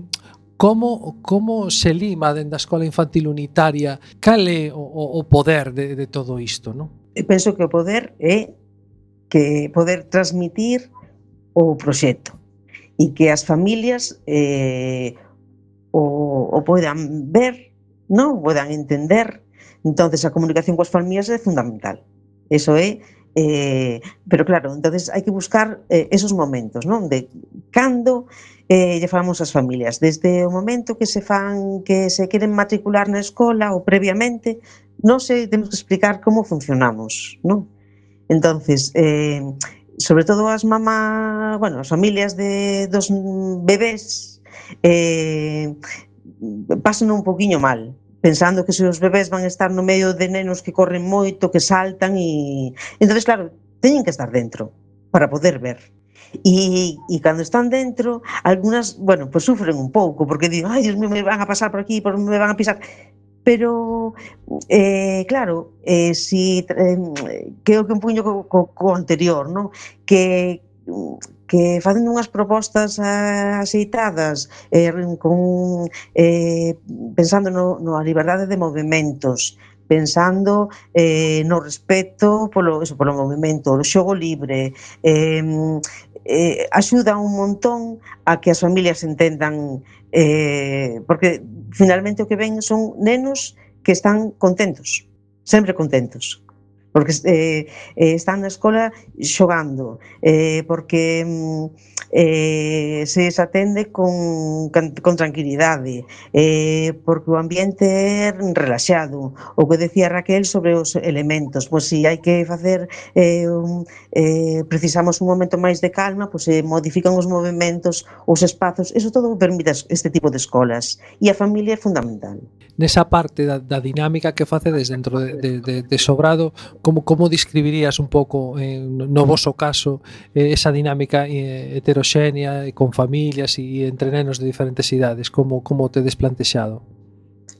Como, como se lima dentro da escola infantil unitaria? Cal é o, o poder de, de todo isto, non? Eu penso que o poder é que poder transmitir o proxecto e que as familias eh, o, o poidan ver, non? O poidan entender. Entonces a comunicación coas familias é fundamental. Eso é, eh, pero claro, entonces hai que buscar eh, esos momentos, non? De cando eh, lle falamos ás familias, desde o momento que se fan, que se queren matricular na escola ou previamente, non sei, temos que explicar como funcionamos, non? Entonces, eh, sobre todo as mamás, bueno, as familias de dos bebés eh, pasan un poquinho mal, pensando que se os bebés van a estar no medio de nenos que corren moito, que saltan e... Entonces, claro, teñen que estar dentro para poder ver. E, e cando están dentro, algunas, bueno, pues sufren un pouco, porque digo, ai, Dios mío, me van a pasar por aquí, por me van a pisar. Pero, eh, claro, eh, si, eh, creo que un puño co, co, co anterior, ¿no? Que que facendo unhas propostas axeitadas, eh, con, eh, pensando no, no a liberdade de movimentos, pensando eh, no respeto polo, eso, polo movimento, o xogo libre, eh, eh, axuda un montón a que as familias entendan, eh, porque finalmente o que ven son nenos que están contentos, sempre contentos, porque eh, eh, están na escola xogando, eh, porque eh, se atende con, con tranquilidade, eh, porque o ambiente é relaxado. O que decía Raquel sobre os elementos, pois si hai que facer, eh, un, eh, precisamos un momento máis de calma, pois se modifican os movimentos, os espazos, eso todo permite este tipo de escolas, e a familia é fundamental. Nesa parte da, da dinámica que facedes dentro de, de, de, de Sobrado, como, como describirías un pouco, eh, no voso caso, eh, esa dinámica eh, heteroxénea, e con familias e entre nenos de diferentes idades? Como, como te desplantexado?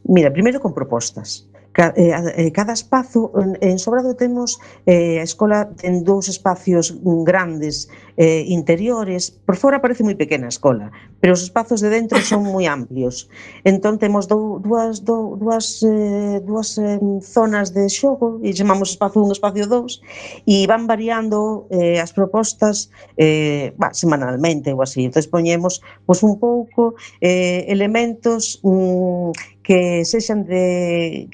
Mira, primeiro con propostas. Cada espazo, en Sobrado temos eh, a escola ten dous espacios grandes eh, interiores, por fora parece moi pequena a escola, pero os espazos de dentro son moi amplios. Entón temos dou, dúas, dou, dúas, eh, dúas eh, zonas de xogo, e chamamos espazo un, espacio dous, e van variando eh, as propostas eh, bah, semanalmente ou así. Entón poñemos pois, un pouco eh, elementos mm, que sexan de...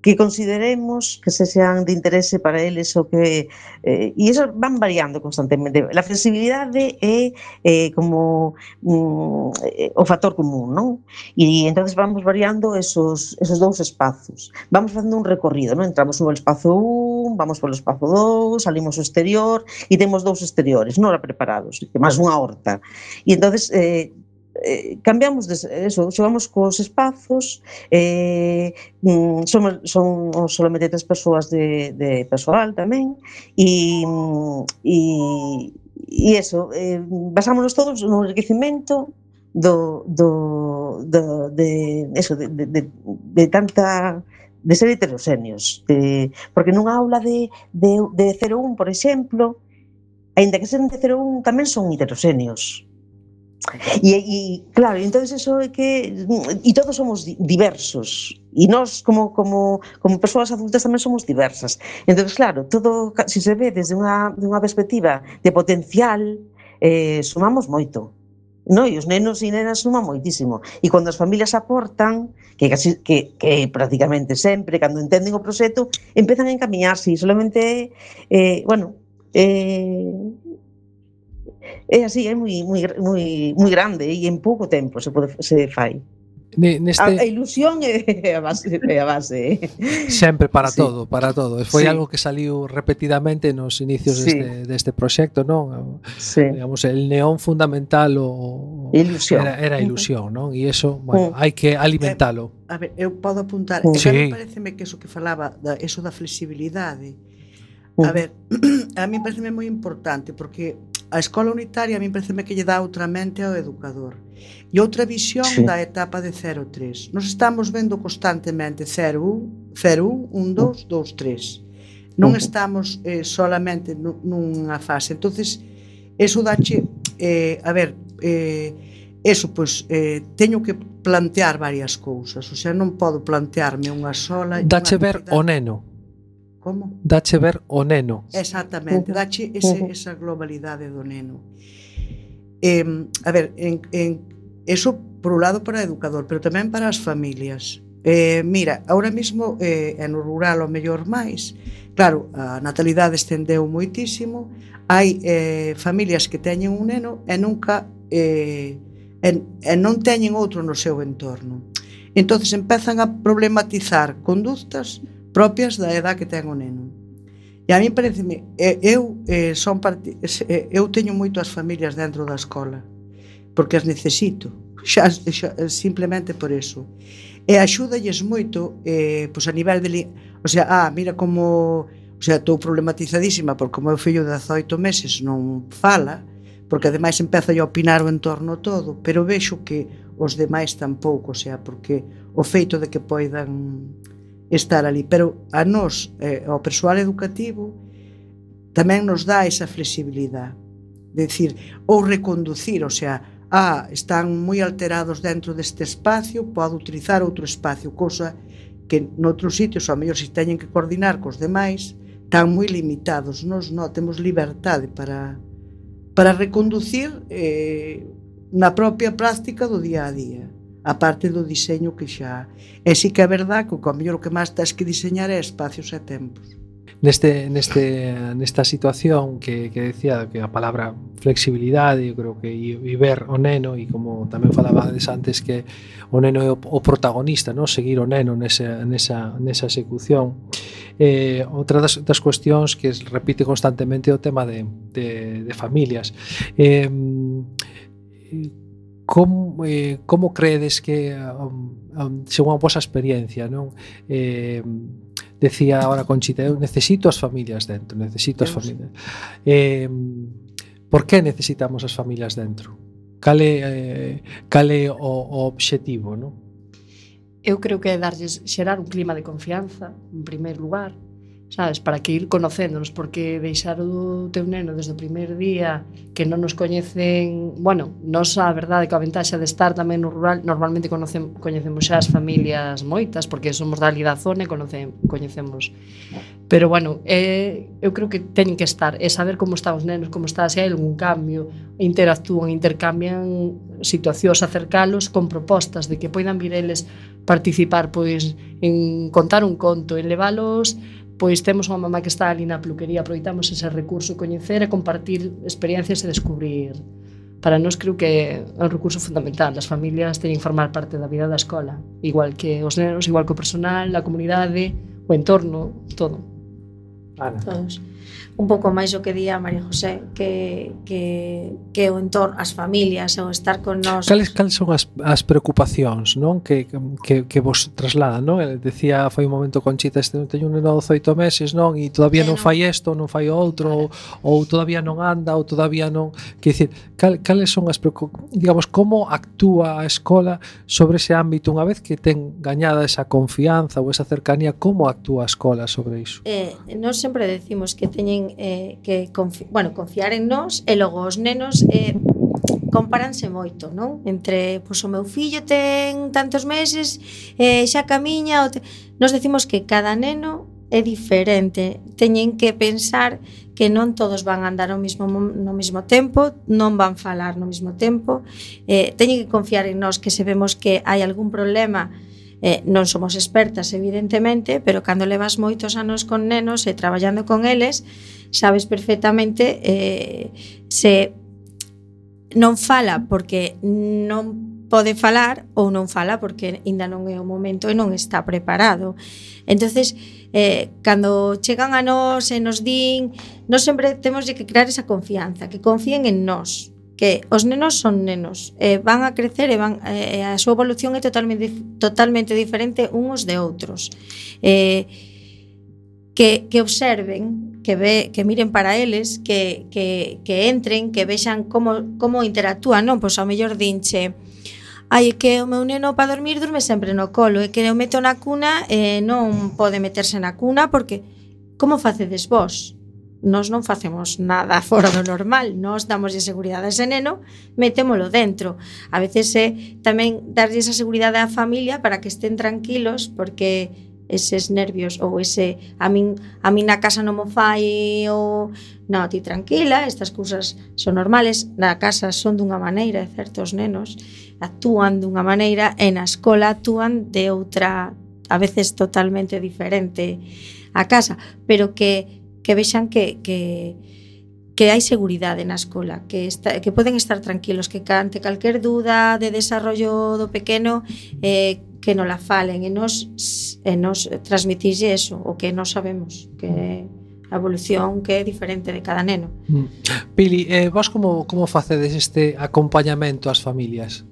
que consideremos que se sean de interese para eles o que eh, e iso van variando constantemente. La flexibilidade é eh, como mm, eh, o factor común, non? E entonces vamos variando esos, esos dous espazos. Vamos facendo un recorrido, non? Entramos no espazo un, vamos polo espazo dous, salimos ao exterior e temos dous exteriores, non preparados, que máis unha horta. E entonces eh, Eh, cambiamos de eso, xogamos cos espazos, eh, somos, son solamente tres persoas de, de persoal tamén, e, e, e eso, eh, basámonos todos no enriquecimento do, do, do, de, eso, de, de, de, de tanta... de ser heteroxéneos, de, porque nunha aula de, de, de cero un, por exemplo, aínda que seren de cero un, tamén son heteroxéneos. E, e claro, entonces eso é que e todos somos diversos e nós como, como, como persoas adultas tamén somos diversas, entonces claro, todo, se se ve desde unha, de unha perspectiva de potencial, eh, sumamos moito, no? E os nenos e nenas suman moitísimo, e cando as familias aportan, que, casi, que, que prácticamente sempre, cando entenden o proxecto, empezan a encamiñarse e solamente eh, bueno eh, é así, é moi moi moi moi grande e en pouco tempo se pode se fai. Neste... A, a ilusión é a base, é a base. Sempre para sí. todo, para todo. Foi sí. algo que saliu repetidamente nos inicios sí. deste, deste proxecto, non? Sí. Digamos, el neón fundamental o ilusión. Era, era ilusión, non? E iso, bueno, hai que alimentalo. Eh, a ver, eu podo apuntar, uh. sí. sí. pareceme que eso que falaba, da, eso da flexibilidade. A ver, a mí pareceme moi importante porque a escola unitaria a mí pareceme que lle dá outra mente ao educador e outra visión sí. da etapa de cero a tres. Nos estamos vendo constantemente cero un, cero un, un, dos, dos, tres. Non estamos eh, solamente nunha fase. Entonces, eso dache, eh, a ver, eh, eso, pois, eh, teño que plantear varias cousas. O sea, non podo plantearme unha sola. Dache ver o neno. Como? Dache ver o neno. Exactamente, dache ese, esa globalidade do neno. Eh, a ver, en, en, eso por un lado para o educador, pero tamén para as familias. Eh, mira, ahora mismo eh, no rural o mellor máis, claro, a natalidade estendeu moitísimo, hai eh, familias que teñen un neno e nunca eh, e, e non teñen outro no seu entorno. Entonces empezan a problematizar conductas propias da edad que ten o neno. E a mí pareceme, eu eh, son parte, eu teño moito as familias dentro da escola, porque as necesito, xa, xa simplemente por eso. E axúdalles moito, eh, pois a nivel de, o sea, ah, mira como, o sea, estou problematizadísima porque o meu fillo de dezaoito meses non fala, porque ademais empeza a opinar o entorno todo, pero vexo que os demais tampouco, o sea, porque o feito de que poidan estar ali, pero a nós, eh, ao persoal educativo, tamén nos dá esa flexibilidade, de decir, ou reconducir, o sea, ah, están moi alterados dentro deste espacio, pode utilizar outro espacio, cousa que noutros sitios, ao mellor se teñen que coordinar cos demais, están moi limitados. Nos non temos liberdade para para reconducir eh, na propia práctica do día a día, a parte do diseño que xa. E sí que é verdad que o mellor o que máis tens que diseñar é espacios e tempos. Neste, neste, nesta situación que, que decía que a palabra flexibilidade, eu creo que e, e ver o neno, e como tamén falabades antes que o neno é o, o protagonista, no? Seguir o neno nesa, nesa, nesa execución. Eh, outra das, das cuestións que repite constantemente é o tema de, de, de familias. Eh, como, eh, como credes que um, um, según a vosa experiencia, non? Eh, decía ahora Conchita, eu necesito as familias dentro, necesito as familias. Eh, por que necesitamos as familias dentro? Cal é, eh, cal é o, o obxectivo, non? Eu creo que é darlles, xerar un clima de confianza, en primeiro lugar, sabes, para que ir conocéndonos, porque deixar o teu neno desde o primeiro día que non nos coñecen, bueno, nos a verdade que a ventaxa de estar tamén no rural, normalmente conocemos, coñecemos xa as familias moitas, porque somos da ali da zona e conocemos, coñecemos. Pero bueno, eh, eu creo que teñen que estar, é saber como están os nenos, como está, se hai algún cambio, interactúan, intercambian situacións, acercalos con propostas de que poidan vir eles participar, pois, en contar un conto, en leválos. Pois temos unha mamá que está ali na peluquería, aproveitamos ese recurso, coñecer e compartir experiencias e descubrir. Para nós creo que é un recurso fundamental. As familias teñen que formar parte da vida da escola, igual que os nenos, igual que o personal, a comunidade, o entorno, todo. Ana. Todos. Un pouco máis o que día María José, que, que, que o entorno, as familias, o estar con nós. Cales, cales son as, as preocupacións, non? Que, que, que vos trasladan, non? Decía, foi un momento Conchita, este teño un neno de dezaoito meses, non? E todavía non fai isto, non fai outro, ou, ou todavía non anda, ou todavía non... Que dicir, cal, cales son as preocupacións? Digamos, como actúa a escola sobre ese ámbito unha vez que ten gañada esa confianza ou esa cercanía, como actúa a escola sobre iso? Eh, nós sempre decimos que teñen eh, que confi bueno, confiar en nós, e logo os nenos eh, comparanse moito, non? Entre, pois, o meu fillo ten tantos meses, eh, xa camiña, o te... Nos decimos que cada neno é diferente, teñen que pensar que non todos van a andar ao mismo, no mesmo tempo, non van falar no mesmo tempo, eh, teñen que confiar en nós, que se vemos que hai algún problema. Eh, non somos expertas, evidentemente, pero cando levas moitos anos con nenos e traballando con eles, sabes perfectamente eh, se non fala porque non pode falar ou non fala porque ainda non é o momento e non está preparado. Entonces, eh, cando chegan a nós e nos din, nós sempre temos que crear esa confianza, que confíen en nós, que os nenos son nenos, eh, van a crecer e van, eh, a súa evolución é totalmente, totalmente diferente uns de outros. Eh, que, que observen, que, ve, que miren para eles, que, que, que entren, que vexan como, como interactúan, non? Pois ao mellor dinche, ai, que o meu neno para dormir durme sempre no colo, e que eu meto na cuna e non pode meterse na cuna porque como facedes vos? Nós non facemos nada fora do normal, nós damos a seguridade a ese neno, metémolo dentro. A veces é tamén darlle esa seguridade á familia para que estén tranquilos, porque eses nervios ou ese a min, a min na casa non mo fai ou non, ti tranquila, estas cousas son normales, na casa son dunha maneira, e certos nenos actúan dunha maneira e na escola actúan de outra, a veces totalmente diferente a casa, pero que que vexan que, que, que hai seguridade na escola, que, está, que poden estar tranquilos, que ante calquer duda de desarrollo do pequeno eh, que non la falen, e nos, e nos transmitisse eso, o que non sabemos, que a evolución que é diferente de cada neno. Pili, eh, vos como, como facedes este acompañamento ás familias?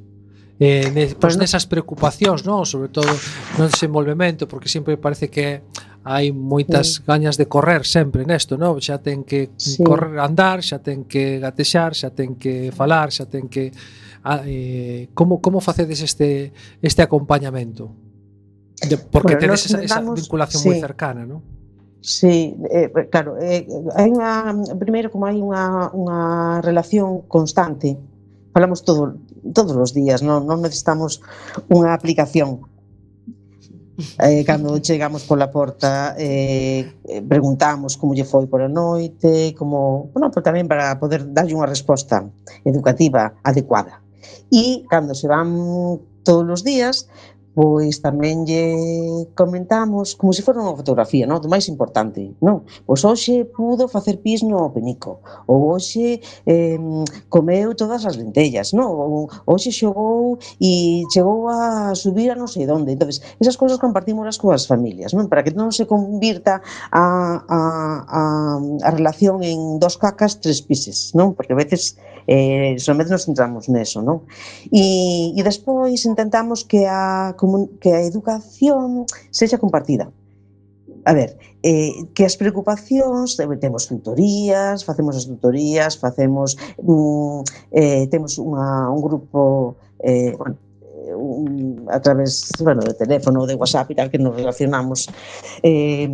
Eh, ne, pois nesas preocupacións, non? Sobre todo no desenvolvemento, porque sempre parece que hai moitas sí. gañas de correr sempre nesto, non? Xa ten que sí. correr, andar, xa ten que gatexar, xa ten que falar, xa ten que eh, como como facedes este este acompañamento? De, porque bueno, tedes esa, esa vinculación sí. moi cercana, non? Sí, eh, claro, eh, hai unha primeiro como hai unha unha relación constante. Falamos todo, todos os días, non, non necesitamos unha aplicación. Eh, cando chegamos pola porta eh, preguntamos como lle foi por a noite, como, bueno, pero tamén para poder darlle unha resposta educativa adecuada. E cando se van todos os días, pois tamén lle comentamos como se fora unha fotografía, non? Do máis importante, non? Pois hoxe pudo facer pis no penico, ou hoxe eh, comeu todas as lentellas, non? Ou hoxe xogou e chegou a subir a non sei onde. Entonces, esas cousas compartímolas coas familias, non? Para que non se convirta a, a, a, a relación en dos cacas, tres pises, non? Porque a veces eh, somente nos centramos neso, non? E, e despois intentamos que a que a educación sexa compartida. A ver, eh, que as preocupacións, temos tutorías, facemos as tutorías, facemos, mm, eh, temos unha, un grupo, eh, bueno, un, a través, bueno, de teléfono, de WhatsApp e tal, que nos relacionamos, eh,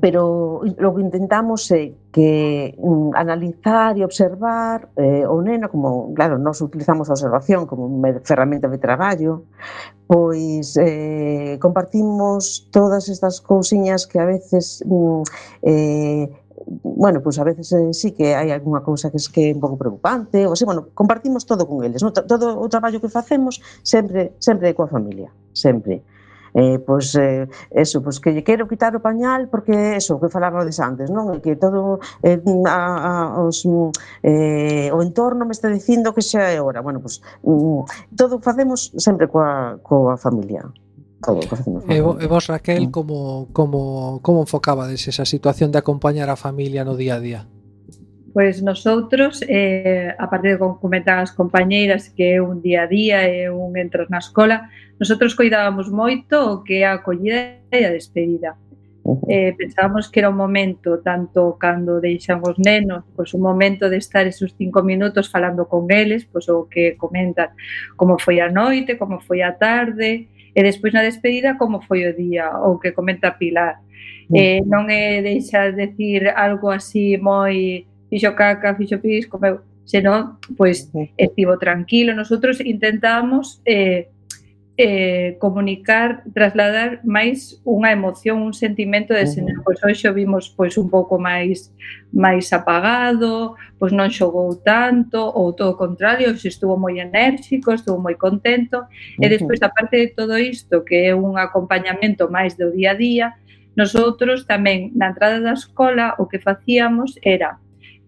pero o que intentamos é que um, analizar e observar eh, o neno, como, claro, nós utilizamos a observación como unha ferramenta de traballo, pois eh, compartimos todas estas cousiñas que a veces um, eh, bueno, pois a veces eh, sí que hai algunha cousa que é que é un pouco preocupante, ou así, bueno, compartimos todo con eles, no? Todo o traballo que facemos sempre sempre coa familia, sempre. Eh, pois, eh, eso, pois que lle quero quitar o pañal porque eso, que falábades antes, non? Que todo eh, a, a, os, eh, o entorno me está dicindo que xa é hora. Bueno, pois mm, todo facemos sempre coa, coa familia. Todo o que facemos. E, e vos, Raquel, como, como, como enfocabades esa situación de acompañar a familia no día a día? Pois nosotros, eh, a parte de comentar as compañeiras que é un día a día, é un entrar na escola, nosotros coidábamos moito o que é a acollida e a despedida. Eh, pensábamos que era un momento, tanto cando deixan os nenos, pois un momento de estar esos cinco minutos falando con eles, pois o que comentan como foi a noite, como foi a tarde, e despois na despedida como foi o día, o que comenta Pilar. Eh, non é deixar decir algo así moi fixo caca, fixo pis, comeu, senón, pois, estivo tranquilo. Nosotros intentamos eh, eh, comunicar, trasladar máis unha emoción, un sentimento de senón, pois hoxe vimos pois un pouco máis máis apagado, pois non xogou tanto, ou todo o contrario, hoxe estuvo moi enérxico, estuvo moi contento, e despois, aparte de todo isto, que é un acompañamento máis do día a día, nosotros tamén, na entrada da escola, o que facíamos era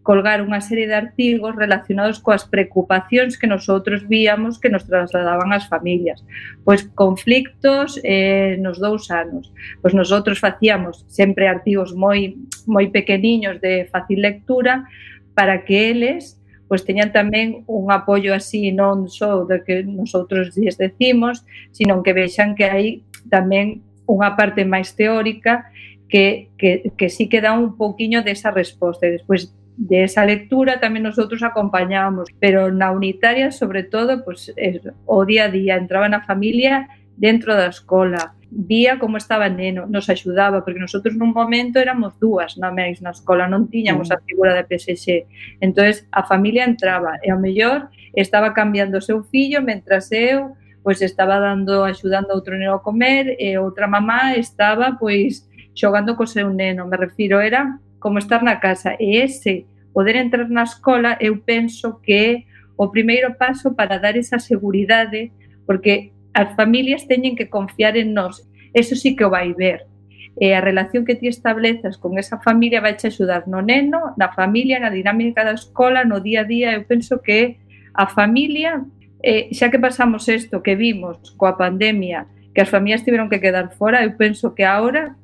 colgar unha serie de artigos relacionados coas preocupacións que nosotros víamos que nos trasladaban as familias. Pois conflictos eh, nos dous anos. Pois nosotros facíamos sempre artigos moi moi pequeniños de fácil lectura para que eles pois teñan tamén un apoio así non só de que nosotros lles decimos, sino que vexan que hai tamén unha parte máis teórica que, que, que sí que dá un pouquiño desa resposta. E despois de esa lectura tamén nosotros acompañábamos, pero na unitaria, sobre todo, pues, eso, o día a día, entraba na familia dentro da escola, vía como estaba el neno, nos axudaba, porque nosotros nun momento éramos dúas na máis na escola, non tiñamos a figura de P S X, entonces a familia entraba, e ao mellor estaba cambiando o seu fillo, mentras eu pois estaba dando, axudando a outro neno a comer, e outra mamá estaba pois xogando co seu neno, me refiro, era como estar na casa, e ese poder entrar na escola eu penso que é o primeiro paso para dar esa seguridade, porque as familias teñen que confiar en nós, eso sí que o vai ver, e a relación que ti establezas con esa familia vai te axudar no neno, na familia, na dinámica da escola, no día a día. Eu penso que a familia, eh, xa que pasamos isto que vimos coa pandemia, que as familias tiveron que quedar fora, eu penso que agora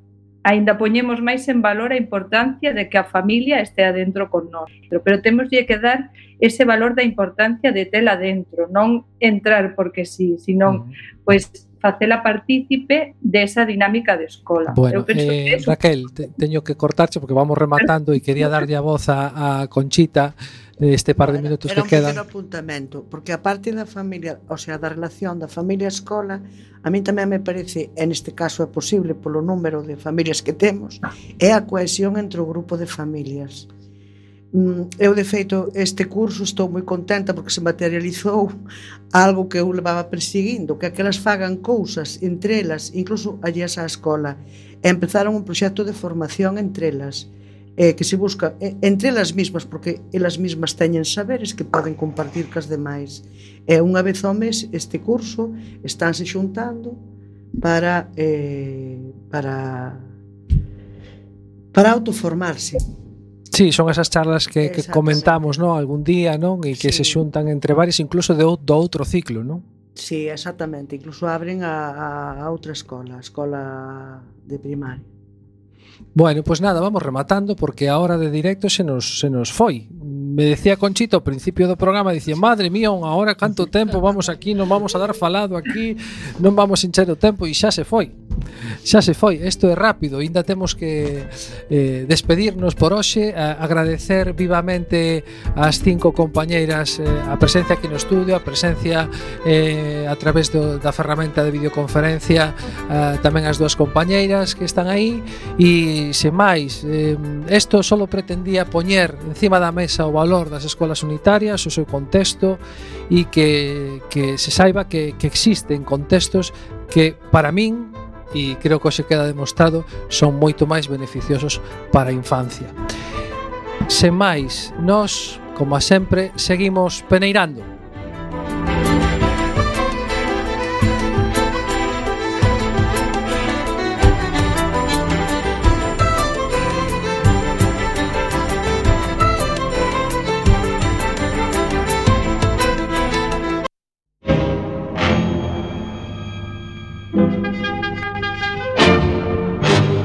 aínda poñemos máis en valor a importancia de que a familia estea dentro con nós. Pero temos que dar ese valor da importancia de tela dentro, non entrar porque sí, senón, uh-huh. pois, facela partícipe desa dinámica de escola. Bueno, eh, eso... Raquel, te, teño que cortarche porque vamos rematando e quería darlle a voz a, a Conchita este par de bueno, minutos que quedan. Era un pequeno apuntamento, porque a parte da familia, o sea, da relación da familia-escola, a mí tamén me parece, en este caso é posible polo número de familias que temos, é a cohesión entre o grupo de familias. Eu, de feito, este curso estou moi contenta porque se materializou algo que eu levaba perseguindo, que aquelas fagan cousas entre elas, incluso allí á escola. E empezaron un proxecto de formación entre elas, eh, que se busca eh, entre elas mismas, porque elas mismas teñen saberes que poden compartir cas demais. E unha vez ao mes este curso estánse xuntando para eh, para para autoformarse. Sí, son esas charlas que, que comentamos, ¿no? Algún día, non? E que sí. se xuntan entre varios, incluso de, do outro ciclo, non? Sí, exactamente. Incluso abren a, a outra escola, a escola de primaria. Bueno, pues nada, vamos rematando porque a hora de directo se nos, se nos foi. Me decía Conchita ao principio do programa, dicía, madre mía, unha hora, canto tempo vamos aquí, non vamos a dar falado aquí, non vamos encher o tempo, e xa se foi. Xa se foi, isto é rápido, ainda temos que eh, despedirnos por hoxe, a, agradecer vivamente ás cinco compañeiras eh, a presencia aquí no estudio, a presencia eh, a través do, da ferramenta de videoconferencia, eh, tamén as dúas compañeiras que están aí, e sen máis, eh, isto só pretendía poñer encima da mesa o valor das escolas unitarias, o seu contexto, e que, que se saiba que, que existen contextos que para min, e creo que hoxe queda demostrado, son moito máis beneficiosos para a infancia. Sen máis, nós, como a sempre, seguimos peneirando.